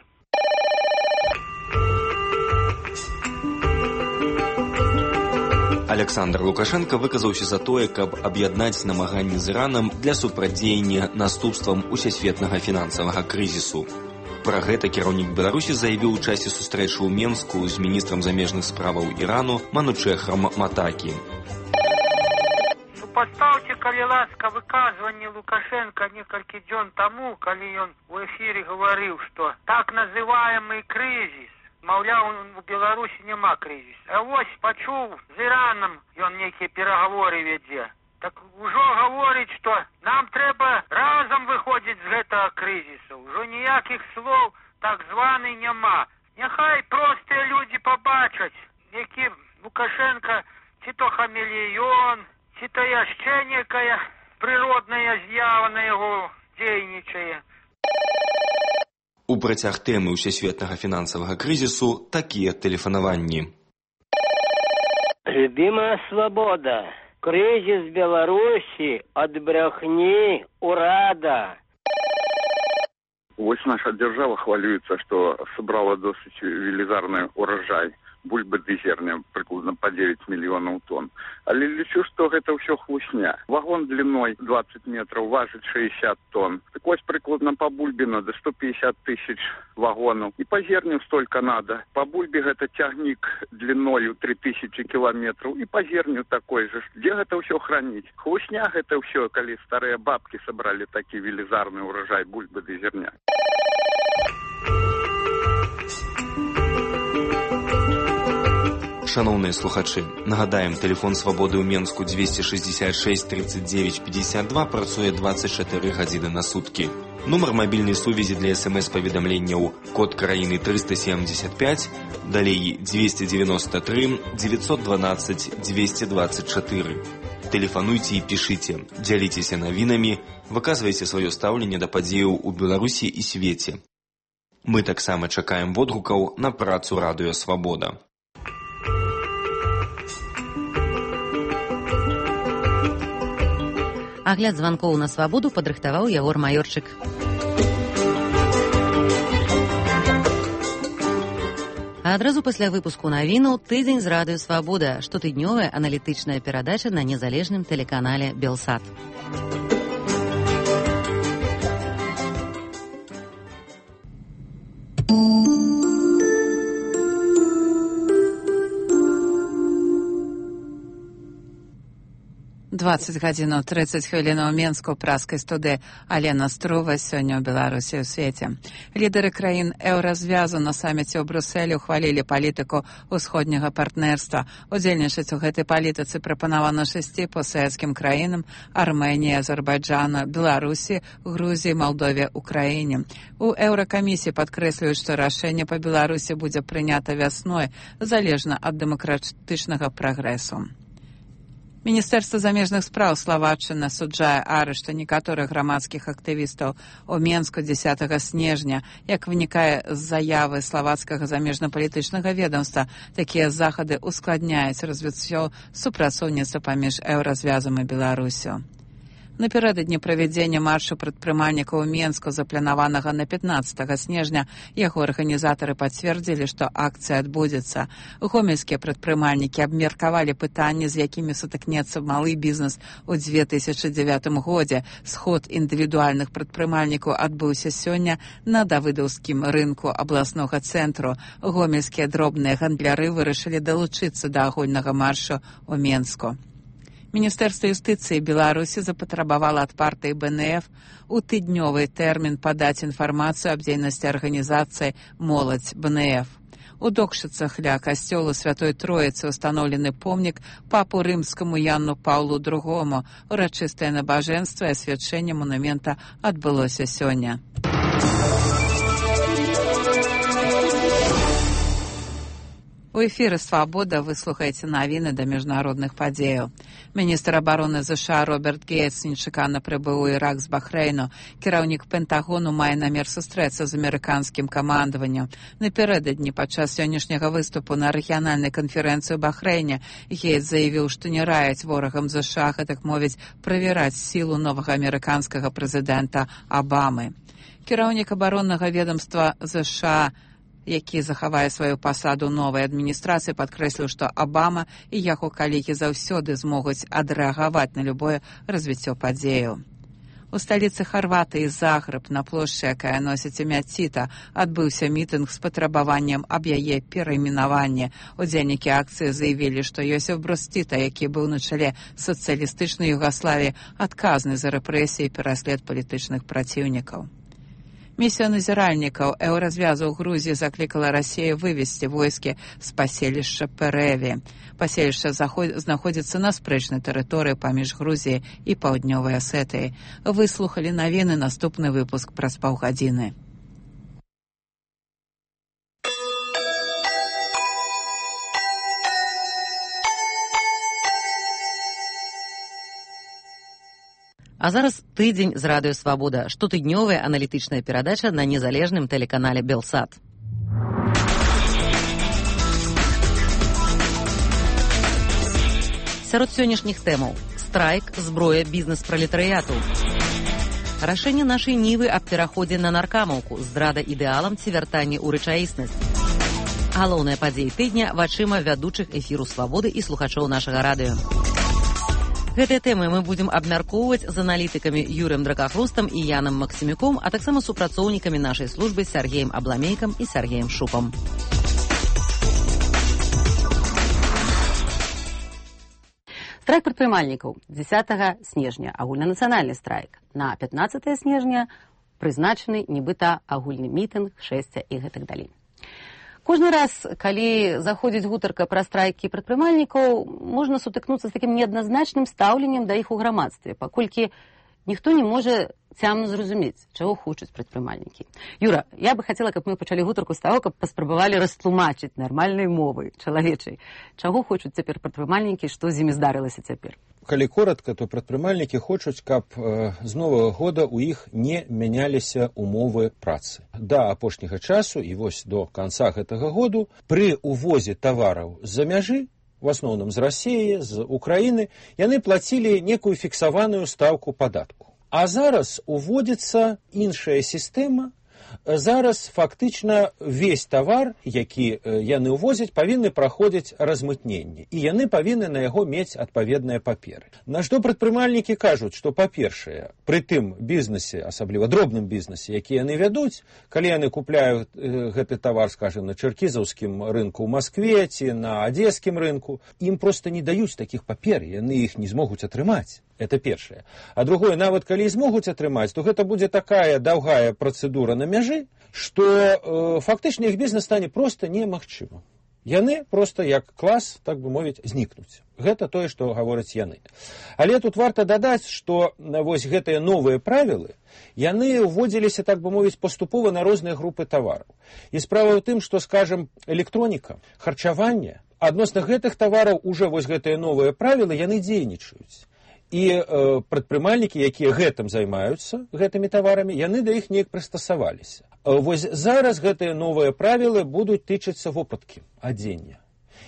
[SPEAKER 10] Александр Лукашенко выказаўся за тое, каб аб'яднаць намаганні з Іранам для супрацьдзеяння наступствам усесветнага фінансавага крызісу. Пра гэта кіраўнік Беларусі заявіў у часе сустрэчы ў Менску з міністрам замежных справаў Ірану Манучэхрам Матакі.
[SPEAKER 11] Супастаўце, калі ласка, выказванне Лукашенко некалькі дзён таму, калі ён у эфіры гаварыў, што так называемый крызіс, маўляў, у Беларусі няма крызіс. А вось пачуў, з Іранам ён нейкія перагаворы вядзе. Так ужо гаворыць, што нам трэба разам выходзіць з гэтага крызісу. Ужо ніякіх слоў так званы няма. Няхай простыя людзі пабачаць, які Лукашенко ці то хамелеён, ці то яшчэ некая прыродная з'ява на яго дзейнічае.
[SPEAKER 10] У працяг тэмы ўсесветнага фінансавага крызісу такія тэлефанаванні.
[SPEAKER 12] Любимая свобода. Кризис Беларуси от брехни урада.
[SPEAKER 20] Вось наша держава хвалюется, что собрала досыць велізарны урожай.
[SPEAKER 2] бульбы ды зерня прыкладна па девять мільёнаў тонн. Але лічу, што гэта ўсё хлусня. Вагон длиной двадцать метров важыць шестьдесят тонн. Так вось прыкладна по бульбе надо сто пятьдесят тысяч вагонов. И по зерню столько надо. По бульбе это тягник длиною три тысячи километров. И по зерню такой же. Где это все хранить? Хлусня это все, коли старые бабки собрали такие велизарный урожай бульбы до зерня.
[SPEAKER 10] Шановные слухачи, нагадаем, телефон свободы ў Менску двести шестьдесят шесть тридцать девять пятьдесят два працуе двадцать четыре гадзіны на сутки. Нумар мобильной сувязі для смс-паведамленняў код краіны триста семьдесят пять, далей двести девяносто три девятьсот двенадцать двести двадцать четыре. Тэлефануйце і пішыце, дзяліцеся навінамі, выказвайце сваё стаўленне да падзеяў у Беларусі і свеце. Мы таксама чакаем водгукаў на працу радыё «Свабода».
[SPEAKER 1] Агляд званкоў на свабоду падрыхтаваў Ягор Маёрчык. А адразу пасля выпуску навінаў тыдзень з радыё «Свабода», штотыднёвая аналітычная перадача на незалежным тэлеканале «Белсат».
[SPEAKER 7] двадцать гадзінаў тридцать хвілінаў у Менску, праскай студыі Алена Струва. Сёння ў Беларусі і ў свеце. Лідары краін еўразвязу на саміце ў Брюсселі ухвалілі палітыку ўсходняга партнерства. Удзельнічаць у гэтай палітыцы прапанавана шасці постсавецкім краінам: Арменіі, Азербайджану, Беларусі, Грузіі, Малдове, Украіне. У еўракамісіі падкрэслююць, што рашэнне па Беларусі будзе прынята вясной, залежна ад дэмакратычнага прагрэсу. Міністэрства замежных спраў Славаччыны асуджае арышт некаторых грамадскіх актывістаў у Менску дзесятага снежня. Як вынікае з заявы славацкага замежна-палітычнага ведомства, такія захады ускладняюць развіццё супрацоўніцтва паміж еўразвязам і Беларусю. Напярэдадні правядзення маршу прадпрымальнікаў у Менску, запланаванага на пятнадцатага снежня, яго арганізатары пацвердзілі, што акцыя адбудзецца. Гомельскія прадпрымальнікі абмеркавалі пытанні, з якімі сутыкнецца малы бізнес у две тысячы дзевятым годзе. Сход індывідуальных прадпрымальнікаў адбыўся сёння на давыдаўскім рынку абласнога цэнтру. Гомельскія дробныя гандляры вырашылі далучыцца да агульнага маршу ў Менску. Міністэрства юстыцыі Беларусі запатрабавала ад партыі бэ эн эф у тыднёвы тэрмін падаць інфармацыю аб дзейнасці арганізацыі «Моладзь бэ эн эф». У Докшыцах ля касцёла Святой Троіцы устаноўлены помнік папу рымскаму Яну Паўлу другому. Урачыстае набажэнства і асвячэнне манумента адбылося сёння. У эфіры «Свабода» вы слухаеце навіны да міжнародных падзеяў. Міністр абароны ЗША Роберт Гейтс нечакана прыбыў у Ірак з Бахрэйну. Кіраўнік Пентагону мае намер сустрэцца з амерыканскім камандаваннем. Напярэдадні падчас сённяшняга выступу на рэгіянальнай канферэнцыі ў Бахрэйне Гейтс заявіў, што не раяць ворагам ЗША, гэтак мовіць, правяраць сілу новага амерыканскага прэзідэнта Абамы. Кіраўнік абароннага ведамства ЗША, які захавае сваю пасаду новай адміністрацыі, падкрэсліў, што Абама і яго калегі заўсёды змогуць адрэагаваць на любое развіццё падзеяў. У сталіцы Харватыі Загрэб, на плошчы, якая носіць імя Ціта, адбыўся мітынг з патрабаваннем аб яе перайменаванні. Удзельнікі акцыі заявілі, што Йосиф Брос Тіта, які быў на чале сацыялістычнай Югаславіі, адказны за рэпрэсіі і пераслед палітычных праціўнікаў. Місія назіральнікаў еўразвязу ў Грузіі заклікала Расію вывесці войскі з паселішча Пэрэві. Паселішча знаходзіцца на спрэчнай тэрыторыі паміж Грузіяй і Паўднёвай Асетыяй. Выслухалі навіны, наступны выпуск праз паўгадзіны.
[SPEAKER 1] А зараз тыдзень з радыё «Свабода», штотыднёвая аналітычная перадача на незалежным тэлеканале «Белсат». Сярод сённяшніх тэмаў: страйк, зброя, бізнес пралетарыяту. Рашэнне нашай нівы аб пераходзе на наркамаўку, здрада ідэалам ці вяртанне ў рэчаіснасць. Галоўныя падзеі тыдня вачыма вядучых эфіру «Свабоды» і слухачоў нашага радыё. Гэтыя тэмы мы будзем абмяркоўваць з аналітыкамі Юрыем Дракахрустам і Янам Максімюком, а таксама супрацоўнікамі нашай службы Сергеем Абламейкам і Сергеем Шупам. Страйк прадпрымальнікаў дзесятага снежня, агульнанацыянальны страйк. На пятнаццатае снежня прызначаны нібыта агульны мітынг, шэсця і гэтак далей. Кожны раз, калі заходзіць гутарка пра страйкі прадпрымальнікаў, можна сутыкнуцца з такім неадназначным стаўленнем да іх у грамадстве, паколькі ніхто не можа цямна зразумець, чаго хочуць прадпрымальнікі. Юра, я бы хацела, каб мы пачалі гутарку з таго, каб паспрабавалі растлумачыць нармальнай мовай, чалавечай, чаго хочуць цяпер прадпрымальнікі, што з імі здарылася цяпер.
[SPEAKER 8] Калі коротка, то прадпрымальнікі хочуць, каб э, з новага года ў іх не мяняліся умовы працы. Да апошняга часу і вось до канца гэтага году пры увозе тавараў з-за мяжы, в асноўным з Расіі, з Украіны, яны плацілі некую фіксаваную стаўку падатку. А зараз уводзіцца іншая сістэма. Зараз фактычна весь тавар, які яны ўвозяць, павінны праходзіць размытненне. І яны павінны на яго мець адпаведныя паперы. На што прадпрымальнікі кажуць, што, па-першае, пры тым бізнесе, асабліва дробным бізнесе, які яны вядуць, калі яны купляюць гэты тавар, скажем, на чэркізаўскім рынку ў Маскве ці на адзескім рынку, ім проста не даюць такіх папер, яны іх не змогуць атрымаць. Это першае. А другое, нават калі і змогуць атрымаць, то гэта будзе такая даўгая працэдура на мяжы, што э, фактычна іх бізнес стане проста немагчымым. Яны проста як клас, так бы мовіць, знікнуць. Гэта тое, што гавораць яны. Але тут варта дадаць, што вось гэтыя новыя правілы, яны ўводзіліся, так бы мовіць, паступова на розныя групы тавараў. І справа ў тым, што, скажам, электроніка, харчаванне, адносна гэтых тавараў уже вось гэтыя новыя правілы, яны дзейнічаюць. І э, прадпрымальнікі, якія гэтым займаюцца, гэтымі таварамі, яны да іх неяк прыстасаваліся. Э, вось зараз гэтыя новыя правілы будуць тычыцца вопраткі, адзення.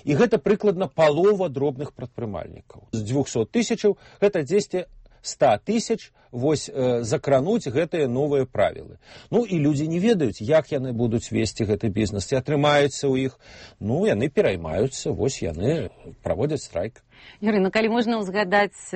[SPEAKER 8] І гэта прыкладна палова дробных прадпрымальнікаў. З дзвюхсот тысячаў гэта дзесьці ста тысяч вось э, закрануць гэтыя новыя правілы. Ну і людзі не ведаюць, як яны будуць весці гэты бізнес, ці атрымаецца ў іх. Ну, яны пераймаюцца, вось яны праводзяць страйк.
[SPEAKER 1] Юрый, ну калі можна ўзгадаць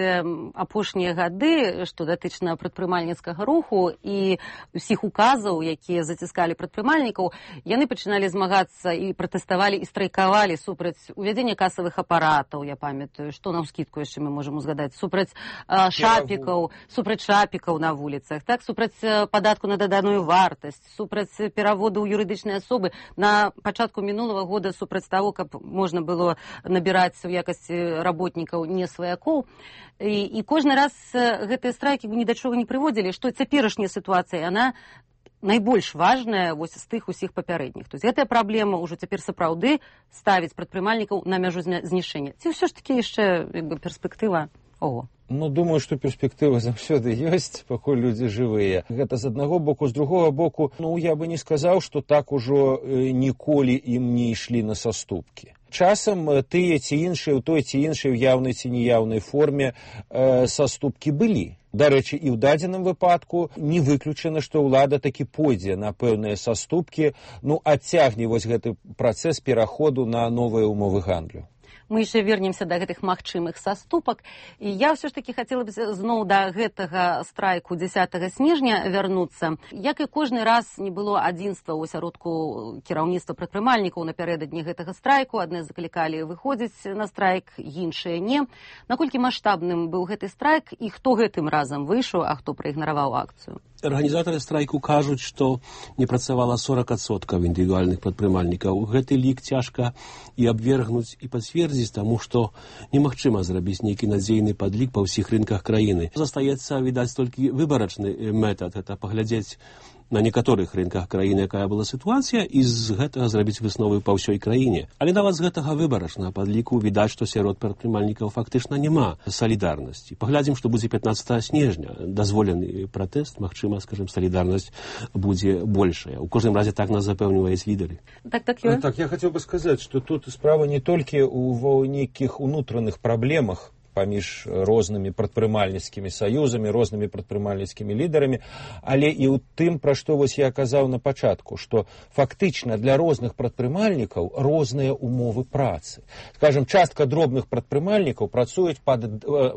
[SPEAKER 1] апошнія гады, што датычна прадпрымальніцкага руху і ўсіх указаў, якія заціскалі прадпрымальнікаў, яны пачыналі змагацца і пратэставалі і страйкавалі супраць увядзення касавых апаратаў, я памятаю, што на ўскідку яшчэ мы можам узгадаць, супраць э, шапікаў, супраць шапікаў на вуліцах, так, супраць падатку на даданую вартасць, супраць пераводу ў юрыдычныя асобы. На пачатку мінулага года супраць таго, каб можна было набіраць у якасці работнікаў не сваякоў. І, і кожны раз гэтыя страйкі ні да чого не прыводзілі, што цяперашняя сітуацыя, яна найбольш важная вось з тых усіх папярэдніх. То есть гэтая праблема ўжо цяпер сапраўды ставіць прадпрымальнікаў на мяжу знішчэння. Ці ўсё ж такі яшчэ як бы перспектыва? Ого.
[SPEAKER 8] Ну, думаю, што перспектыва заўсёды ёсць, пакуль людзі жывыя. Гэта з аднаго боку, з другога боку, ну, я бы не сказаў, што так ужо э, ніколі ім не ішлі на саступкі. Часам тыя ці іншыя, у той ці іншай яўнай ці неяўнай форме э, саступкі былі. Дарэчы, і ў дадзеным выпадку не выключана, што ўлада такі пойдзе на пэўныя саступкі, ну, адцягне вось гэты працэс пераходу на новыя умовы гандлю.
[SPEAKER 1] Мы яшчэ вернемся да гэтых магчымых саступак. І я ўсё ж такі хацела б зноў да гэтага страйку дзесятага снежня вярнуцца. Як і кожны раз не было адзінства ў асяродку кіраўніцтва прадпрымальнікаў напярэдадні гэтага страйку. Адны заклікалі выходзіць на страйк, іншыя не. Наколькі маштабным быў гэты страйк і хто гэтым разам выйшаў, а хто праігнараваў акцыю?
[SPEAKER 13] Арганізатары страйку кажуць, што не працавала сорок адсоткаў індывідуальных прадпрымальнікаў. Гэты лік цяжка і абвергнуць, і пацвердзіць, таму што немагчыма зрабіць нейкі надзейны падлік па ўсіх рынках краіны. Застаецца, відаць, толькі выбарачны метад, гэта паглядзець на некаторых рынках краіны, якая была сітуацыя, і з гэтага зрабіць высновы па ўсёй краіне. Але нават з гэтага выбарачнага падліку відаць, што сярод прадпрымальнікаў фактычна няма салідарнасці. Паглядзім, што будзе пятнаццатага снежня. Дазволены пратэст, магчыма, скажем, салідарнасць будзе большая. У кожным разе так нас запэўніваюць лідары.
[SPEAKER 1] Так, так, Юрий.
[SPEAKER 8] Так, я хацеў бы сказаць, што тут справа не толькі ў нейкіх унутраных праблемах паміж рознымі прадпрымальніцкімі саюзамі, рознымі прадпрымальніцкімі лідарамі, але і ў тым, пра што вось я казаў на пачатку, што фактычна для розных прадпрымальнікаў розныя умовы працы. Скажем, частка дробных прадпрымальнікаў працуюць пад,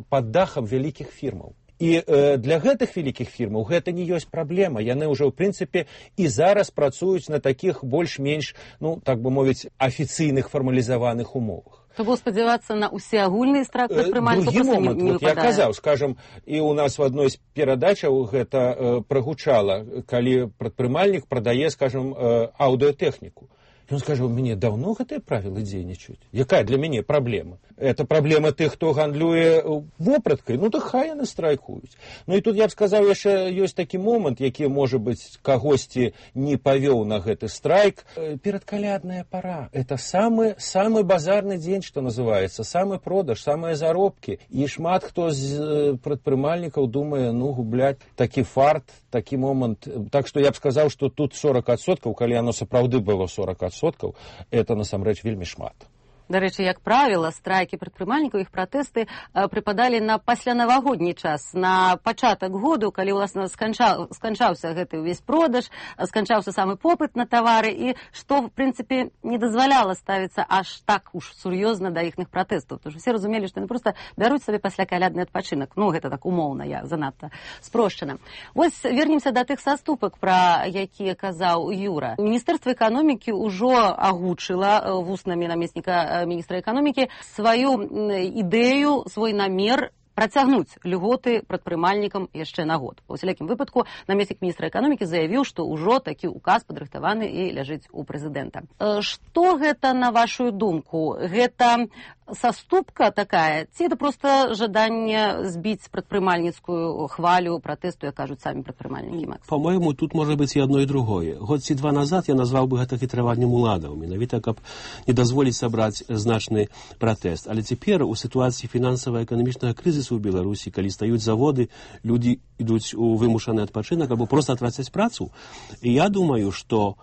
[SPEAKER 8] пад дахам вялікіх фірмаў. І э, для гэтых вялікіх фірмаў гэта не ёсць праблема. Яны ўжо, ў прынцыпе, і зараз працуюць на такіх больш-менш, ну, так бы мовіць, афіцыйных фармалізаваных умовах.
[SPEAKER 1] То было спадзявацца на ўсеагульны страйк прадпрымальнікаў
[SPEAKER 8] Другі
[SPEAKER 1] проста
[SPEAKER 8] момант,
[SPEAKER 1] не, не
[SPEAKER 8] вот я казаў, скажам, і ў нас в адной з перадачаў гэта э, прагучала, калі прадпрымальнік прадае, скажам, э, аўдыотэхніку. Ён скажа, у мяне даўно гэтыя правілы дзейнічаюць. Якая для мяне праблема? Это праблема тых, хто гандлюе вопраткай, ну то хай яны страйкуюць. Ну і тут я б сказаў, яшчэ ёсць такі момант, які, можа быць, кагосьці не павёў на гэты страйк. Перадкалядная пара. Это самы, самы базарны дзень, што называецца, самы продаж, самыя заробкі. І шмат хто з прадпрымальнікаў думае, ну, губляць такі фарт, такі момант. Так што я б сказаў, што тут сорок адсоткаў, калі яно сапраўды было сорок адсоткаў, это насамрэч вельмі шмат.
[SPEAKER 1] Дарэчы, як правіла, страйкі прадпрымальнікаў, іх пратэсты прыпадалі на паслянавагодні час, на пачатак году, калі, уласна, сканчаў, сканчаўся гэты ўвесь продаж, сканчаўся самы попыт на тавары, і што, в прынцыпе, не дазваляла ставіцца аж так уж сур'ёзна да іхных пратэстаў. Тому што все разумелі, што яны проста бяруць сабе паслякалядны адпачынак. Ну, гэта так умоўна, я занадта спрошчана. Вось вернемся да тых саступак, пра якія казаў Юра. Міністэрства эканомікі ўжо агучыла вуснамі намесніка міністра эканомікі сваю ідэю, свой намер працягнуць льготы прадпрымальнікам яшчэ на год. Па ўсялякім выпадку намеснік міністра эканомікі заявіў, што ўжо такі указ падрыхтаваны і ляжыць у прэзідэнта. Што гэта, на вашу думку? Гэта саступка такая, ці это проста жаданне збіць прадпрымальніцкую хвалю пратэсту, як кажуць самі прадпрымальнікі, Макс?
[SPEAKER 13] По-моему, тут можа быць і одно і другое. Год ці два назад я назваў бы гэта хітраваннем уладаў, менавіта каб не дазволіць сабраць значны пратэст. Але цяпер у сітуацыі фінансава-эканамічнага крызісу ў Беларусі, калі стаюць заводы, людзі ідуць у вымушаны адпачынак або проста трацяць працу. І я думаю, што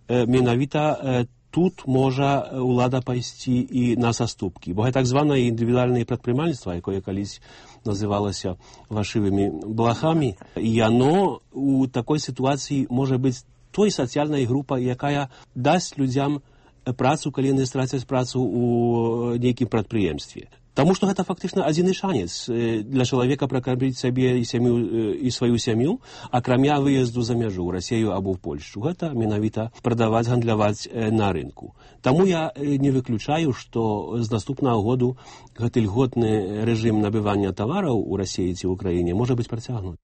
[SPEAKER 13] э, менавіта э, тут можа ўлада пайсці і на саступкі. Бо гэта так званае індывідуальнае прадпрымальніцтва, якое калісь называлася вашывымі блахамі, і яно у такой сітуацыі можа быць той сацыяльнай групай, якая дасць людзям працу, калі яны страцяць працу ў нейкім прадпрыемстве. Таму што гэта фактычна адзіны шанец для чалавека пракарміць сабе і сям'ю і сваю сям'ю, акрамя выезду за мяжу ў Расію або ў Польшчу. Гэта менавіта прадаваць, гандляваць на рынку. Таму я не выключаю, што з наступнага году гэты льготны рэжым набывання тавараў у Расіі ці ў Украіне можа быць працягнуты.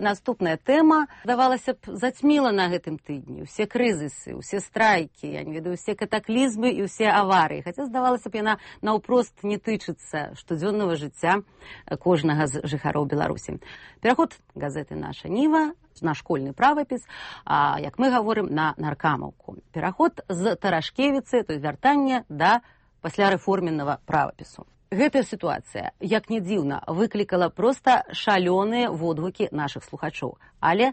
[SPEAKER 1] Наступная тэма, здавалася б, зацьміла на гэтым тыдні. Усе крызісы, усе страйкі, я не ведаю, усе катаклізмы і усе аварыі. Хаця, здавалася б, яна наўпрост не тычыцца штодзённага жыцця кожнага з жыхароў Беларусі. Пераход газеты «Наша Ніва» на школьны правапіс, а, як мы гаворым, на наркамаўку. Пераход з Тарашкевіцы, то есть вяртання да паслярэформеннага правапісу. Гэтая сітуацыя, як не дзіўна, выклікала проста шалёныя водгукі нашых слухачоў. Але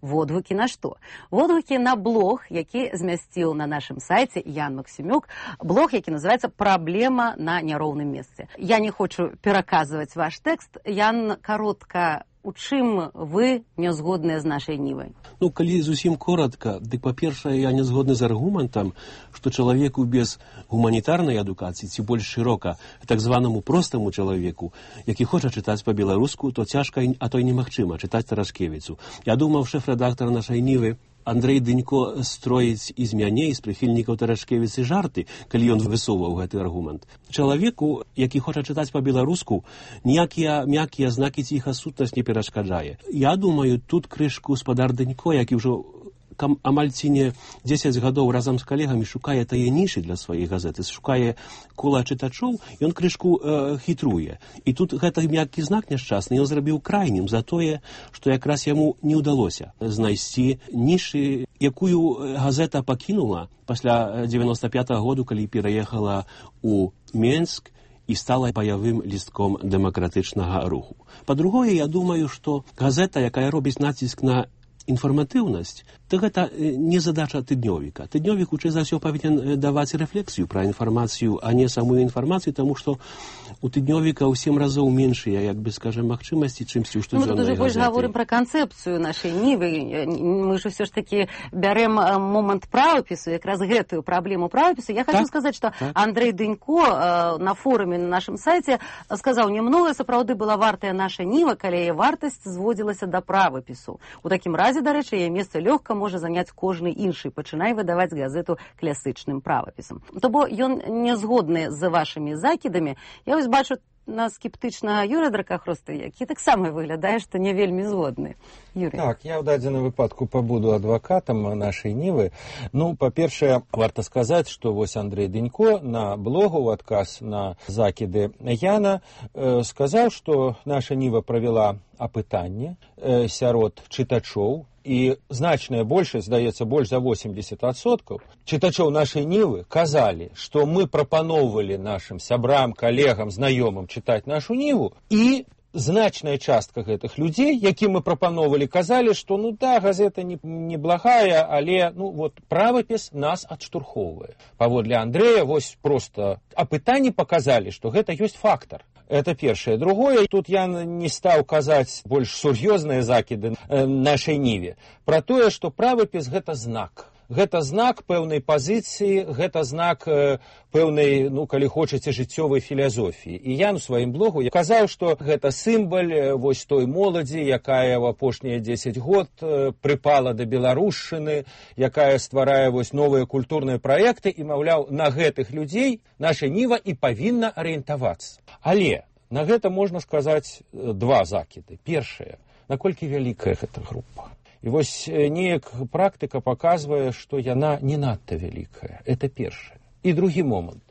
[SPEAKER 1] водгукі на што? Водгукі на блог, які змясціў на нашым сайце Ян Максімюк, блог, які называецца «Праблема на няроўным месцы». Я не хочу пераказваць ваш тэкст. Ян, каротка, у чым вы не згодныя з нашай Нівай?
[SPEAKER 13] Ну, калі зусім коротка, дык, па-першае, я не згодны з аргументам, што чалавеку без гуманітарнай адукацыі, ці больш шырока, так званаму простаму чалавеку, які хоча чытаць па-беларуску, то цяжка, а то і немагчыма чытаць Тарашкевіцу. Я думаў, шэф-рэдактар нашай Нівы Андрэй Дынько строіць і з мяне, і з прыхільнікаў Тарашкевіцы жарты, калі ён высоўваў гэты аргумент. Чалавеку, які хоча чытаць па-беларуску, ніякія мяккія знакі ціха сутнасць не перашкаджае. Я думаю, тут крышку спадар Дынько, які ўжо амаль ці не дзесяць гадоў разам з калегамі шукае тае нішы для сваёй газеты, шукае кола чытачоў, ён крышку э, хітруе. І тут гэты мяккі знак няшчасны ён зрабіў крайнім за тое, што якраз яму не ўдалося знайсці нішы, якую газета пакінула пасля дзевяноста пятага году, калі пераехала ў Менск і стала баявым лістком дэмакратычнага руху. Па-другое, я думаю, што газета, якая робіць націск на інфарматыўнасць, то гэта не задача тыднёвіка. Тыднёвік хутчэй за ўсё павінен даваць рэфлексію пра інфармацыю, а не самую інфармацыю, таму што у тыднёвіка ў сем разоў меншыя, як бы скажем, магчымасці, чымсьці ў штодзённай газеты.
[SPEAKER 1] Мы тут уже больш гаворым пра канцэпцыю нашай нівы. Мы ж ўсё ж такі бярем момант правапісу, якраз гэтую праблему правапісу. Я хочу так, сказаць, што так. Андрэй Дынько на форуме на нашым сайце сказаў, немногое сапраўды была вартая наша ніва, калі яе вартасць зводзілася да правапісу. У такім разе, дарэчы, яе месца лёгка можа заняць кожны іншы, пачынай выдаваць газету класычным правапісам. То бо ён не згодны з вашымі закідамі. Я вось бачу на скептычнага Юрыя Дракахроста, які таксама выглядае, што не вельмі згодны. Юрий.
[SPEAKER 8] Так, я ў дадзеным выпадку пабуду адвакатам нашай нівы. Ну, па-першае, варта сказаць, што вось Андрэй Дынько на блогу ў адказ на закіды Яна э, сказаў, што наша ніва правяла апытанне э, сярод чытачоў, і значная большасць, здаецца, больш за восемьдесят адсоткаў чытачоў нашай нівы казалі, што мы прапаноўвалі нашым сябрам, калегам, знаёмым чытаць нашу ніву, і значная частка гэтых людзей, якім мы прапаноўвалі, казалі, што ну да, газета не, не благая, але ну вот правапіс нас адштурхоўвае. Паводле Андрэя вось проста апытанні паказалі, што гэта ёсць фактар. Это першае. Другое, тут я не стаў казаць больш сур'ёзныя закіды нашай ніве пра тое, што правапіс гэта знак. Гэта знак пэўнай пазіцыі, гэта знак э, пэўнай, ну, калі хочаце, жыццёвай філасофіі. І я на сваім блогу я казаў, што гэта сімвал э, вось той моладзі, якая ў апошнія дзесяць год э, прыпала да беларушчыны, якая стварае вось новыя культурныя праекты, і, маўляў, на гэтых людзей наша ніва і павінна арыентавацца. Але на гэта можна сказаць э, два закіды. Першае, наколькі вялікая гэта група. І вось неяк практыка паказвае, што яна не надта вялікая. Это першае. І другі момант.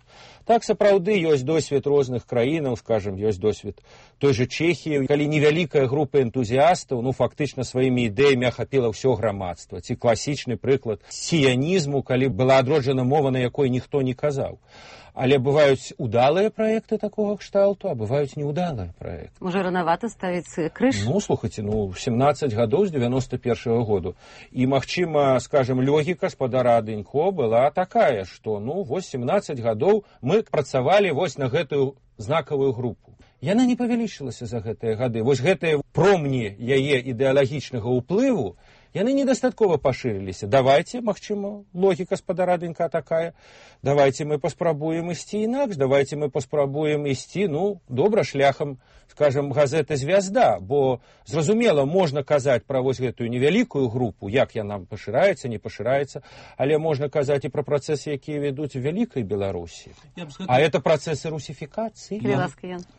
[SPEAKER 8] Так, сапраўды, ёсць досвед розных краінаў, скажем, ёсць досвед той же Чэхіі, калі невялікая група энтузіастаў, ну, фактычна сваімі ідэямі ахапіла ўсё грамадства. Ці класічны прыклад сіянізму, калі была адроджана мова, на якой ніхто не казаў. Але бываюць удалыя праекты такога кшталту, а бываюць неудалыя праекты.
[SPEAKER 1] Можа, ранавата ставіць крыж?
[SPEAKER 8] Ну, слухайце, ну, семнадцаць гадоў з девяносто першага году. І, магчыма, скажем, логіка спадара Дынько была такая, што, ну, вось семнадцаць гадоў мы працавалі вось на гэтую знакавую групу. Яна не павялічылася за гэтыя гады. Вось гэтыя промні яе ідэалагічнага ўплыву, яны недастаткова пашырыліся. Давайте, магчыма, логіка спадара Дынька такая, давайте мы паспрабуем ісці інакш, давайте мы паспрабуем ісці, ну, добра, шляхам, скажем, газеты «Звязда», бо, зразумела, можна казаць пра вось гэтую невялікую групу, як яна пашыраецца, не пашыраецца, але можна казаць і пра працэсы, якія вядуць у вялікай Беларусі. Гэтым... А это працэсы русіфікацыі.
[SPEAKER 13] Я,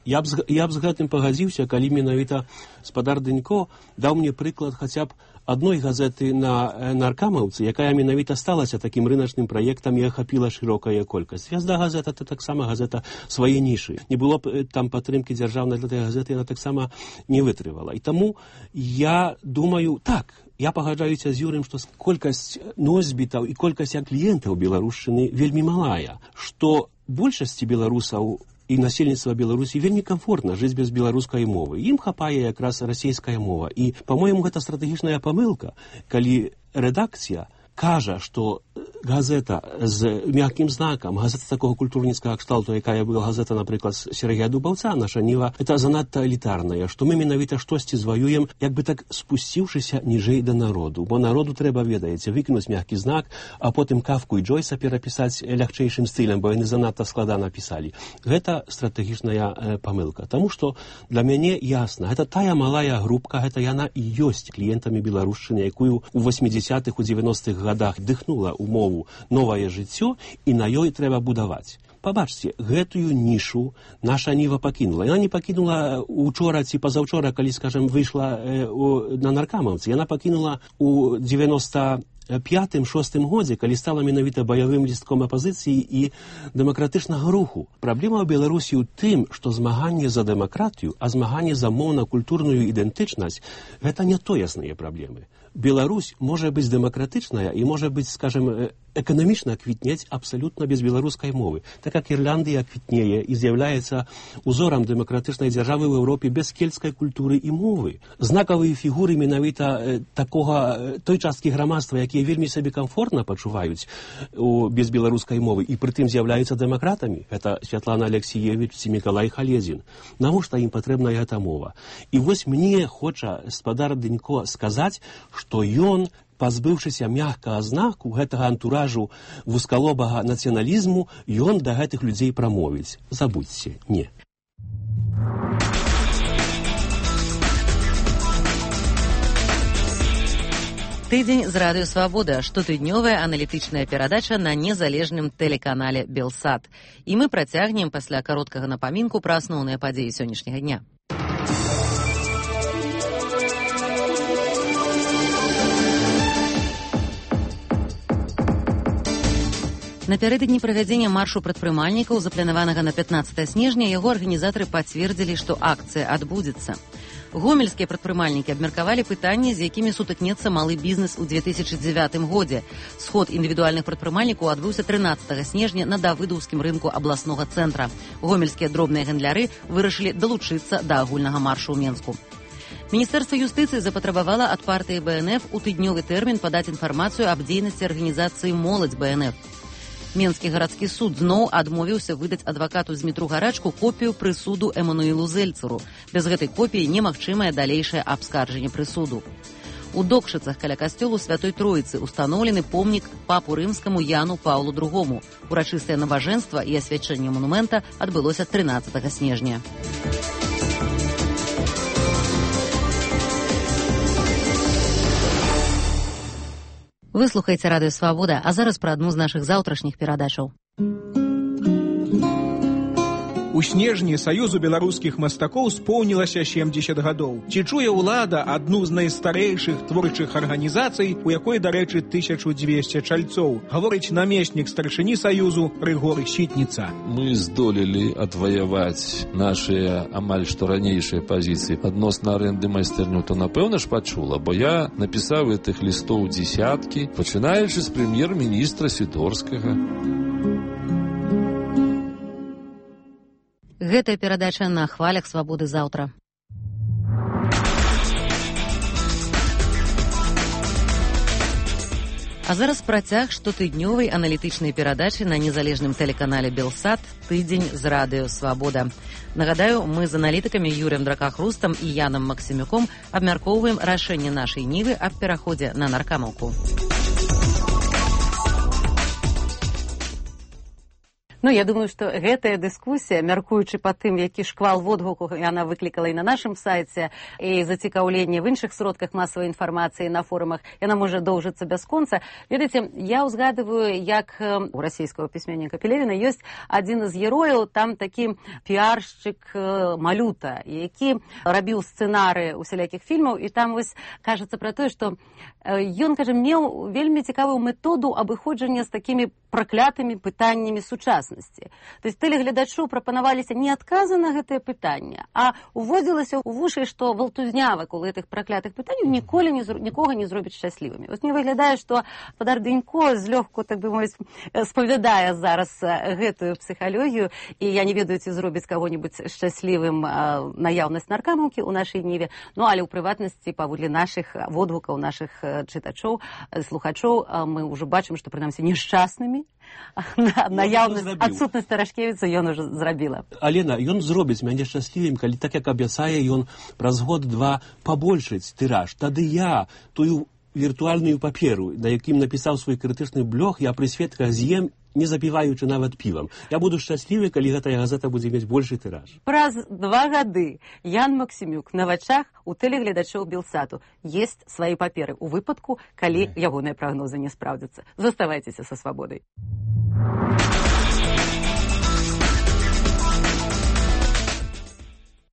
[SPEAKER 13] я, б, я б з гэтым пагадзіўся, калі менавіта спадар Дынько даў мне прыклад хаця б адной газеты на наркамаўцы, якая менавіта сталася такім рыначным праектам і ахапіла шырокая колькасць. «Звязда» газета — это таксама газета свае нішы. Не было б там падтрымкі дзяржаўнай для гэтай газеты, яна таксама не вытрывала. І таму я думаю, так, я пагаджаюся з Юрым, што колькасць носьбітаў і колькасць кліентаў беларушчыны вельмі малая, што большасці беларусаў і насельніцтва Беларусі вельмі комфортна жыць без беларускай мовы. Ім хапае якраз расійская мова. І, па-моему, гэта стратэгічная памылка, калі рэдакцыя кажа, што газета з мяккім знакам, газета такого культурніцкага кшталту, якая была газета, напрыклад, Сергея Дубаўца, наша ніва, это занадта элітарная, што мы менавіта штосьці зваюем, як бы так спусціўшыся ніжэй да народу. Бо народу трэба, ведаеце, выкінуць мяккі знак, а потым Кафку і Джойса перапісаць лягчэйшым стылем, бо яны занадта складана пісалі. Гэта стратэгічная э, памылка. Таму што для мяне ясна, гэта тая малая групка, гэта яна і ёсць кліентамі беларушчыны, якую ў восьмідзесятых, у дзевяностых гадах дыхнула ў мову новае жыццё, і на ёй трэба будаваць. Пабачце, гэтую нішу наша ніва пакінула. Яна не пакінула учора ці пазаўчора, калі, скажем, выйшла э, у, на наркамаўцы. Яна пакінула у девяносто пятым шостым годзе, калі стала менавіта баявым лістком апазіцыі і дэмакратычнага руху. Праблема ў Беларусі ў тым, што змаганне за дэмакратыю, а змаганне за моўна-культурную ідэнтычнасць — гэта не тоесныя праблемы. Беларусь можа быць дэмакратычная і можа быць, скажем, эканамічна квітнець абсалютна без беларускай мовы. Так як Ірландыя квітнее і з'яўляецца узорам дэмакратычнай дзяржавы ў Еўропе без кельцкай культуры і мовы. Знакавыя фігуры менавіта э, такога э, той часткі грамадства, якія вельмі сабе комфортна пачуваюць у, без беларускай мовы і прытым з'яўляюцца дэмакратамі. Гэта Святлана Алексіевіч ці Мікалай Халезін. Навошта ім патрэбна гэта мова? І вось мне хоча спадар Дэнько сказаць, што ён, пазбыўшыся мягкага знаку гэтага антуражу вузкалобага нацыяналізму, ён да гэтых людзей прамовіць. Забудзьце, не.
[SPEAKER 1] Тыдзень з радыё «Свабода» – штотыднёвая аналітычная перадача на незалежным тэлеканале «Белсат». І мы працягнем пасля кароткага напамінку пра асноўныя падзеі сённяшняга дня. Напярэдадні правядзення маршу прадпрымальнікаў, запланаванага на пятнаццатае снежня, яго арганізатары пацвердзілі, што акцыя адбудзецца. Гомельскія прадпрымальнікі абмеркавалі пытанні, з якімі сутыкнецца малы бізнес у две тысячы дзевятым годзе. Сход індывідуальных прадпрымальнікаў адбыўся трынаццатага снежня на давыдаўскім рынку абласнога цэнтра. Гомельскія дробныя гандляры вырашылі далучыцца да агульнага маршу ў Менску. Міністэрства юстыцыі запатрабавала ад партыі бэ эн эф у тыднёвы тэрмін падаць інфармацыю аб дзейнасці арганізацыі «Моладзь бэ эн эф». Менскі гарадскі суд зноў адмовіўся выдаць адвакату Змітру Гарачку копію прысуду Эмануілу Зельцеру. Без гэтай копіі немагчымае далейшае абскарджанне прысуду. У Докшыцах каля касцёлу Святой Троіцы устаноўлены помнік папу рымскаму Яну Паўлу другому. Урачыстае набажэнства і асвячэнне манумента адбылося трынаццатага снежня. Вы слухаеце радыё «Свабода», а зараз пра адну з нашых заўтрашніх перадачаў.
[SPEAKER 14] У снежні Саюзу беларускіх мастакоў споўнілася сямдзесят гадоў. Ці чуе ўлада адну з найстарэйшых творчых арганізацый, у якой, дарэчы, тысяча дзвесце чальцоў, гаворыць намеснік старшыні Саюзу Рыгор Сітніца.
[SPEAKER 15] Мы здолелі адваяваць нашыя амаль што ранейшыя пазіцыі адносна арэнды майстэрню, то напэўна ж пачула, бо я напісаў гэтых лістоў дзесяткі, пачынаючы з прэм'ер-міністра Сідорскага.
[SPEAKER 1] Гэтая перадача на хвалях «Свабоды» заўтра. А зараз працяг штотыднёвай аналітычнай перадачы на незалежным тэлеканале «Белсат» «Тыдзень з радыё «Свабода». Нагадаю, мы з аналітыкамі Юрыем Дракахрустам і Янам Максімюком абмяркоўваем рашэнне нашай Нівы аб пераходзе на Наркамаўку. Ну, я думаю, што гэтая дыскусія, мяркуючы па тым, які шквал водгуку яна выклікала і на нашым сайце, і зацікаўленне в іншых сродках масавай інфармацыі на форумах, яна можа доўжыцца бясконца. Ведаеце, я ўзгадываю, як у расійскага пісьменніка Пелевіна ёсць адзін з герояў, там такі піаршчык Малюта, які рабіў сцэнары усялякіх фільмаў, і там вось кажацца пра тое, што ён, кажа, меў вельмі цікавую методу абыходжання з такімі праклятымі пытаннямі сучаснасці. То есть тэлегледачу прапанаваліся не адказы на гэтае пытанне, а уводзілася ў вушы, што валтузня вакол гэтых праклятых пытанняў ніколі не, нікога не зробіць шчаслівымі. Вось мне выглядае, што спадар Дэнько злёгку, так бы мовіць, спавядае зараз гэтую псіхалогію, і я не ведаю, ці зробіць каго-небудзь шчаслівым наяўнасць наркамаўкі ў нашай Ніве, ну, але ў прыватнасці, паводле нашых водгукаў, нашых чытачоў, слухачоў, мы ўжо бачым, што, прынамсі, нешчаснымі наяўнасць, адсутнасць Тарашкевіца ён ужо зрабіла.
[SPEAKER 13] Алена, ён зробіць мяне шчаслівым, калі так, як абяцае ён праз год-два пабольшыць тыраж. Тады я тую віртуальную паперу, на якім напісаў свой крытычны блог, я пры сведках з'ем, не запіваючы нават півам. Я буду шчаслівы, калі гэтая газета будзе мець большы тыраж.
[SPEAKER 1] Праз два гады Ян Максімюк на вачах у тэлегледачоў Белсату есць свае паперы ў выпадку, калі ягоныя прагнозы не спраўдзяцца. Заставайцеся са свабодай.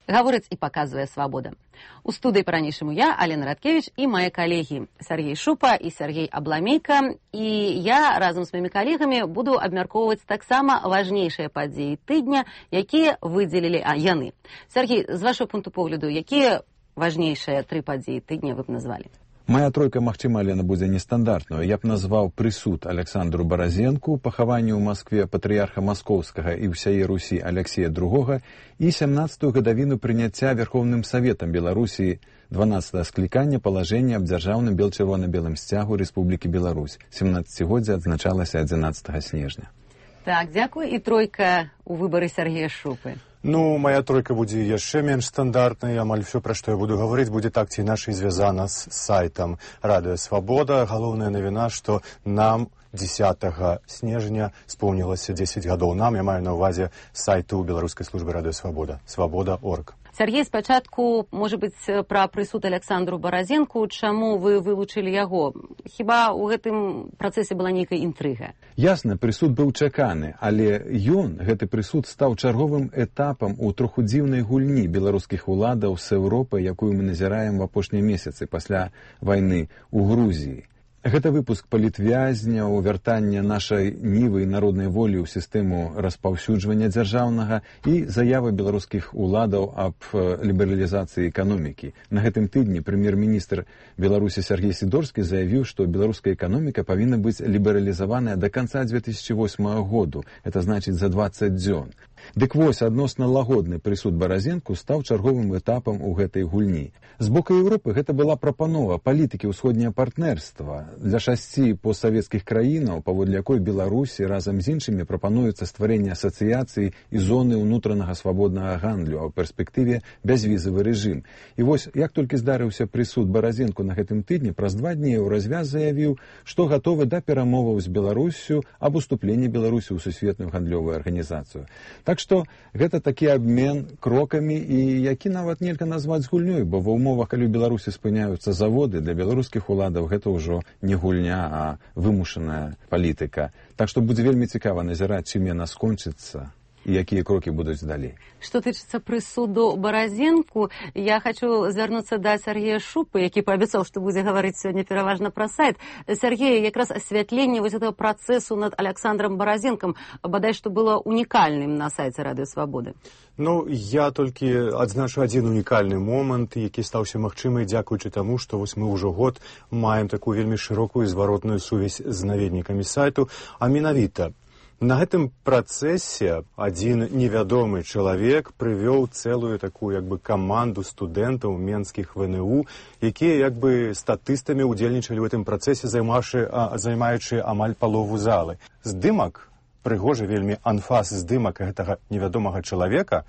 [SPEAKER 1] Гаворыць і паказвае «Свабода». У студыі па-ранейшаму я, Алена Радкевіч, і мае калегі Сергей Шупа і Сергей Абламейка. І я разам з маімі калегамі буду абмяркоўваць таксама важнейшыя падзеі тыдня, якія выдзелілі а, яны. Сергей, з вашого пункту погляду, якія важнейшыя тры падзеі тыдня вы б назвалі?
[SPEAKER 9] Моя тройка, магчыма, Алена, будзе нестандартную. Я б назваў прысуд Александру Баразенку, пахаванню ў Маскве патрыярха Маскоўскага і ўсяе Русі Алексея другога і сямнаццатую гадавіну прыняцця Верховным Саветам Беларусі дванаццатага склікання палажэння аб дзяржаўным бел-чырвона-белым сцягу Рэспублікі Беларусь. сямнаццацігоддзе адзначалася адзінаццатага снежня.
[SPEAKER 1] Так, дзякуй. І тройка ў выбары Сергея Шупы.
[SPEAKER 16] Ну, моя тройка будзе яшчэ менш стандартнай. Амаль все, пра што я буду гаварыць, будзе так ці іначай звязана з сайтам Радыё Свабода. Галоўная навіна, што нам дзесятага снежня споўнілася дзесяць гадоў. Нам, я маю на ўвазе сайту беларускай службы Радыё Свабода. свабода точка орг.
[SPEAKER 1] Сергей, спачатку, можа быць, пра прысуд Александру Баразенку. Чаму вы вылучылі яго? Хіба ў гэтым працэсе была нейкая інтрыга?
[SPEAKER 9] Ясна, прысуд быў чаканы, але ён, гэты прысуд, стаў чарговым этапам у троху дзіўнай гульні беларускіх уладаў з Еўропай, якую мы назіраем в апошнія месяцы пасля вайны ў Грузіі. Гэта выпуск палітвязняў, вяртанне нашай нівы і народнай волі ў сістэму распаўсюджвання дзяржаўнага і заявы беларускіх уладаў аб лібералізацыі эканомікі. На гэтым тыдні прэм'ер-міністр Беларусі Сергей Сідорскі заявіў, што беларуская эканоміка павінна быць лібералізаваная да канца две тысячи восьмага году. Это значыць за дваццаць дзён. Дык вось, адносна лагодны прысуд Баразенку стаў чарговым этапам у гэтай гульні. З боку Еўропы гэта была прапанова палітыкі ўсходняе партнерства для шасці постсавецкіх краінаў, паводле якой Беларусі разам з іншымі прапануецца стварэнне асацыяцыі і зоны ўнутранага свабоднага гандлю, а ў перспектыве бязвізавы рэжым. І вось, як толькі здарыўся прысуд Баразенку на гэтым тыдні, праз два дні Еўразвяз заявіў, што гатовы да перамоваў з Беларуссю аб уступленні Беларусі ў сусветную гандлёвую арганізацыю. Так што гэта такі абмен крокамі, і які нават нельга назваць гульнёй, бо ва умовах, калі ў Беларусі спыняюцца заводы, для беларускіх уладаў гэта ўжо не гульня, а вымушаная палітыка. Так што будзе вельмі цікава назіраць, чым яна скончыцца і якія крокі будуць далей.
[SPEAKER 1] Што тычыцца прысуду Баразенку, я хочу звярнуцца да Сергея Шупы, які паабяцаў, што будзе гаварыць сёння пераважна пра сайт. Сергей, якраз асвятленне вось этого працэсу над Александром Баразенкам бадай што было унікальным на сайце Радыё Свабоды.
[SPEAKER 16] Ну, я толькі адзначу адзін унікальны момант, які стаўся магчымай дзякуючы таму, што вось мы ўжо год маем такую вельмі шырокую зваротную сувязь з наведнікамі сайту, а менавіта на гэтым працэсе адзін невядомы чалавек прывёў цэлую такую як бы каманду студэнтаў менскіх вэ эн у, якія як бы статыстамі ўдзельнічалі ў гэтым працэсе, займаючы амаль палову залы. Здымак, прыгожы вельмі анфас здымак гэтага невядомага чалавека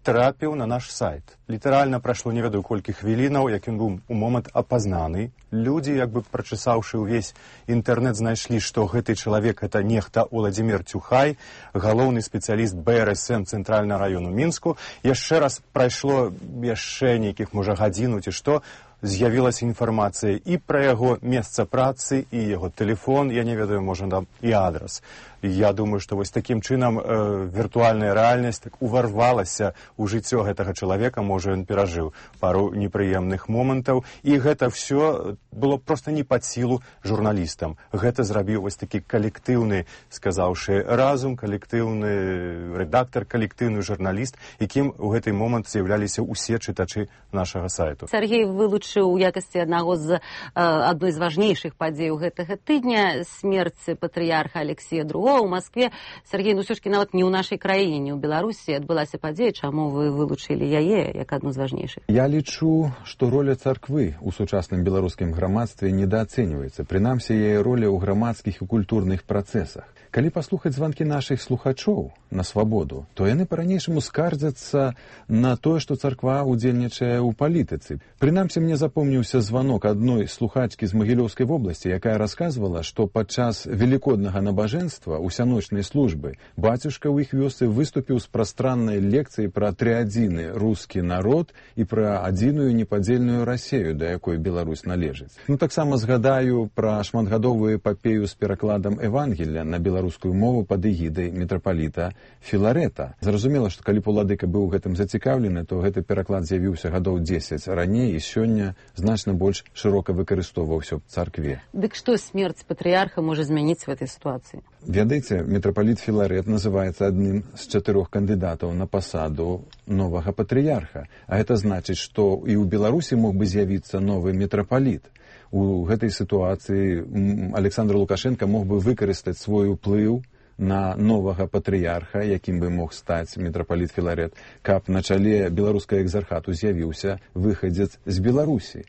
[SPEAKER 16] трапіў на наш сайт. Літаральна прайшло не ведаю колькі хвілінаў, як ён быў у момант апазнаны. Людзі, як бы прачысаўшы ўвесь інтэрнэт, знайшлі, што гэты чалавек гэта нехта Уладзімір Цюхай, галоўны спецыяліст бэ эр эс эм цэнтральнага раёну Мінску. Яшчэ раз прайшло яшчэ нейкіх, можа, гадзіну ці што, з'явілася інфармацыя і пра яго месца працы, і яго тэлефон, я не ведаю, можа, там і адрас. Я думаю, што вось такім чынам э, віртуальная рэальнасць так уварвалася ў жыццё гэтага чалавека, можа, ён перажыў пару непрыемных момантаў, і гэта ўсё было проста не пад сілу журналістам. Гэта зрабіў вось такі калектыўны, сказаўшы, разум, калектыўны рэдактар, калектыўны журналіст, якім у гэты момант з'яўляліся ўсе чытачы нашага сайту.
[SPEAKER 1] Сергей вылучыў у якасці аднаго з адной з важнейшых падзей гэтага тыдня смерць патрыярха Алексея другога ў Маскве. Сергей, ну ўсё ж нават не ў нашай краіне, не ў Беларусі адбылася падзея, чаму вы вылучылі яе як адну з важнейшых?
[SPEAKER 9] Я лічу, што роля царквы ў сучасным беларускім грамадстве недаацэньваецца. Прынамсі, яе роля ў грамадскіх і культурных працэсах. Калі паслухаць званкі нашых слухачоў на свабоду, то яны па-ранейшаму скардзяцца на тое, што царква ўдзельнічае ў палітыцы. Прынамсі, мне запомніўся званок адной слухачкі з Магілёўскай вобласці, якая расказвала, што падчас велікоднага набажэнства усяночнай службы бацюшка ў іх вёсцы выступіў з прастраннай лекцыяй пра трыадзіны рускі народ і пра адзіную непадзельную Расею, да якой Беларусь належыць. Ну, таксама згадаю пра шматгадовую эпапею з перакладам Евангелля на беларускую рускую мову пад эгідай мітрапаліта Філарэта. Зразумела, што калі б уладыка быў гэтым зацікаўлены, то гэты пераклад з'явіўся гадоў дзесяць раней, і сёння
[SPEAKER 8] сёння значна больш шырока выкарыстоўваўся ў царкве.
[SPEAKER 1] Дык што смерць патрыярха можа змяніць в этой сітуацыі?
[SPEAKER 8] Ведаеце, мітрапаліт Філарет называецца адным з чатырох кандыдатаў на пасаду новага патрыярха. А гэта значыць, што і ў Беларусі мог бы з'явіцца новы мітрапаліт. У гэтай сітуацыі Александр Лукашенко мог бы выкарыстаць свой уплыў на новага патрыярха, якім бы мог стаць мітрапаліт Філарет, каб на чале беларускага экзархату з'явіўся выхадзец з Беларусі.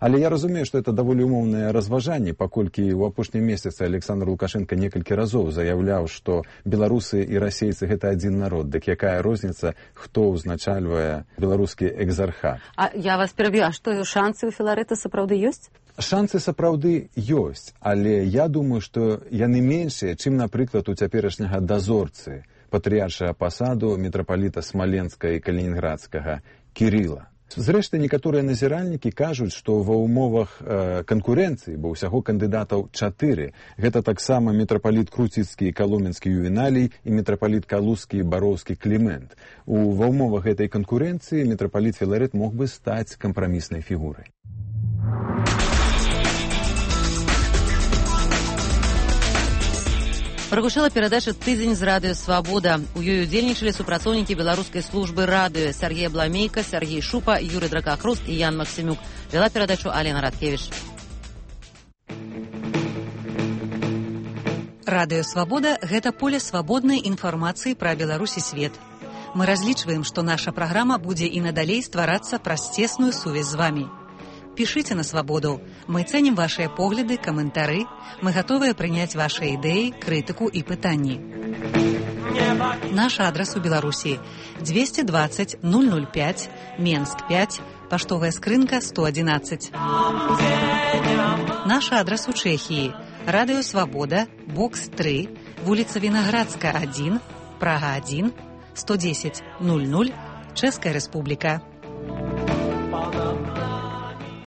[SPEAKER 8] Але я разумею, што это даволі умоўнае разважанне, паколькі ў апошнім месяцы Александр Лукашенко некалькі разоў заяўляў, што беларусы і расейцы гэта адзін народ. Дык якая розніца, хто ўзначальвае беларускі экзархат?
[SPEAKER 1] А я вас пераб'ю, а што шансы ў Філарэта сапраўды ёсць?
[SPEAKER 8] Шансы сапраўды ёсць, але я думаю, што яны меншыя, чым, напрыклад, у цяперашняга дазорцы патрыяршага пасаду мітрапаліта Смаленска і Калінінградскага Кірыла. Зрэшты, некаторыя назіральнікі кажуць, што ва ўмовах э, канкурэнцыі, бо ўсяго кандыдатаў чатыры, гэта таксама мітрапаліт Круціцкі і Каломенскі Ювеналій і мітрапаліт Калузскі і Бароўскі Клімент. У ва ўмовах гэтай канкурэнцыі мітрапаліт Філарет мог бы стаць кампраміснай фігурай.
[SPEAKER 1] Прагучала перадача «Тыдзень з радыё Свабода». У ёй удзельнічалі супрацоўнікі беларускай службы радыё Сергей Бламейка, Сергей Шупа, Юрый Дракахруст і Ян Максимюк. Вела перадачу Алена Радкевіч.
[SPEAKER 17] Радыё Свабода – гэта поле свабоднай інфармацыі пра Беларусь і свет. Мы разлічваем, што наша праграма будзе і надалей стварацца праз цесную сувязь з вамі. Пішыце на Свабоду. Мы цэнім вашыя погляды, каментары. Мы гатовыя прыняць вашыя ідэі, крытыку і пытанні. Наш адрас у Беларусі двести двадцать ноль ноль пять, Менск пять, паштовая скрынка сто одиннадцать. Наш адрас у Чэхіі Радыё Свабода, бокс три, вуліца Вінаградска один, Прага один, сто десять ноль ноль, Чэшская Рэспубліка.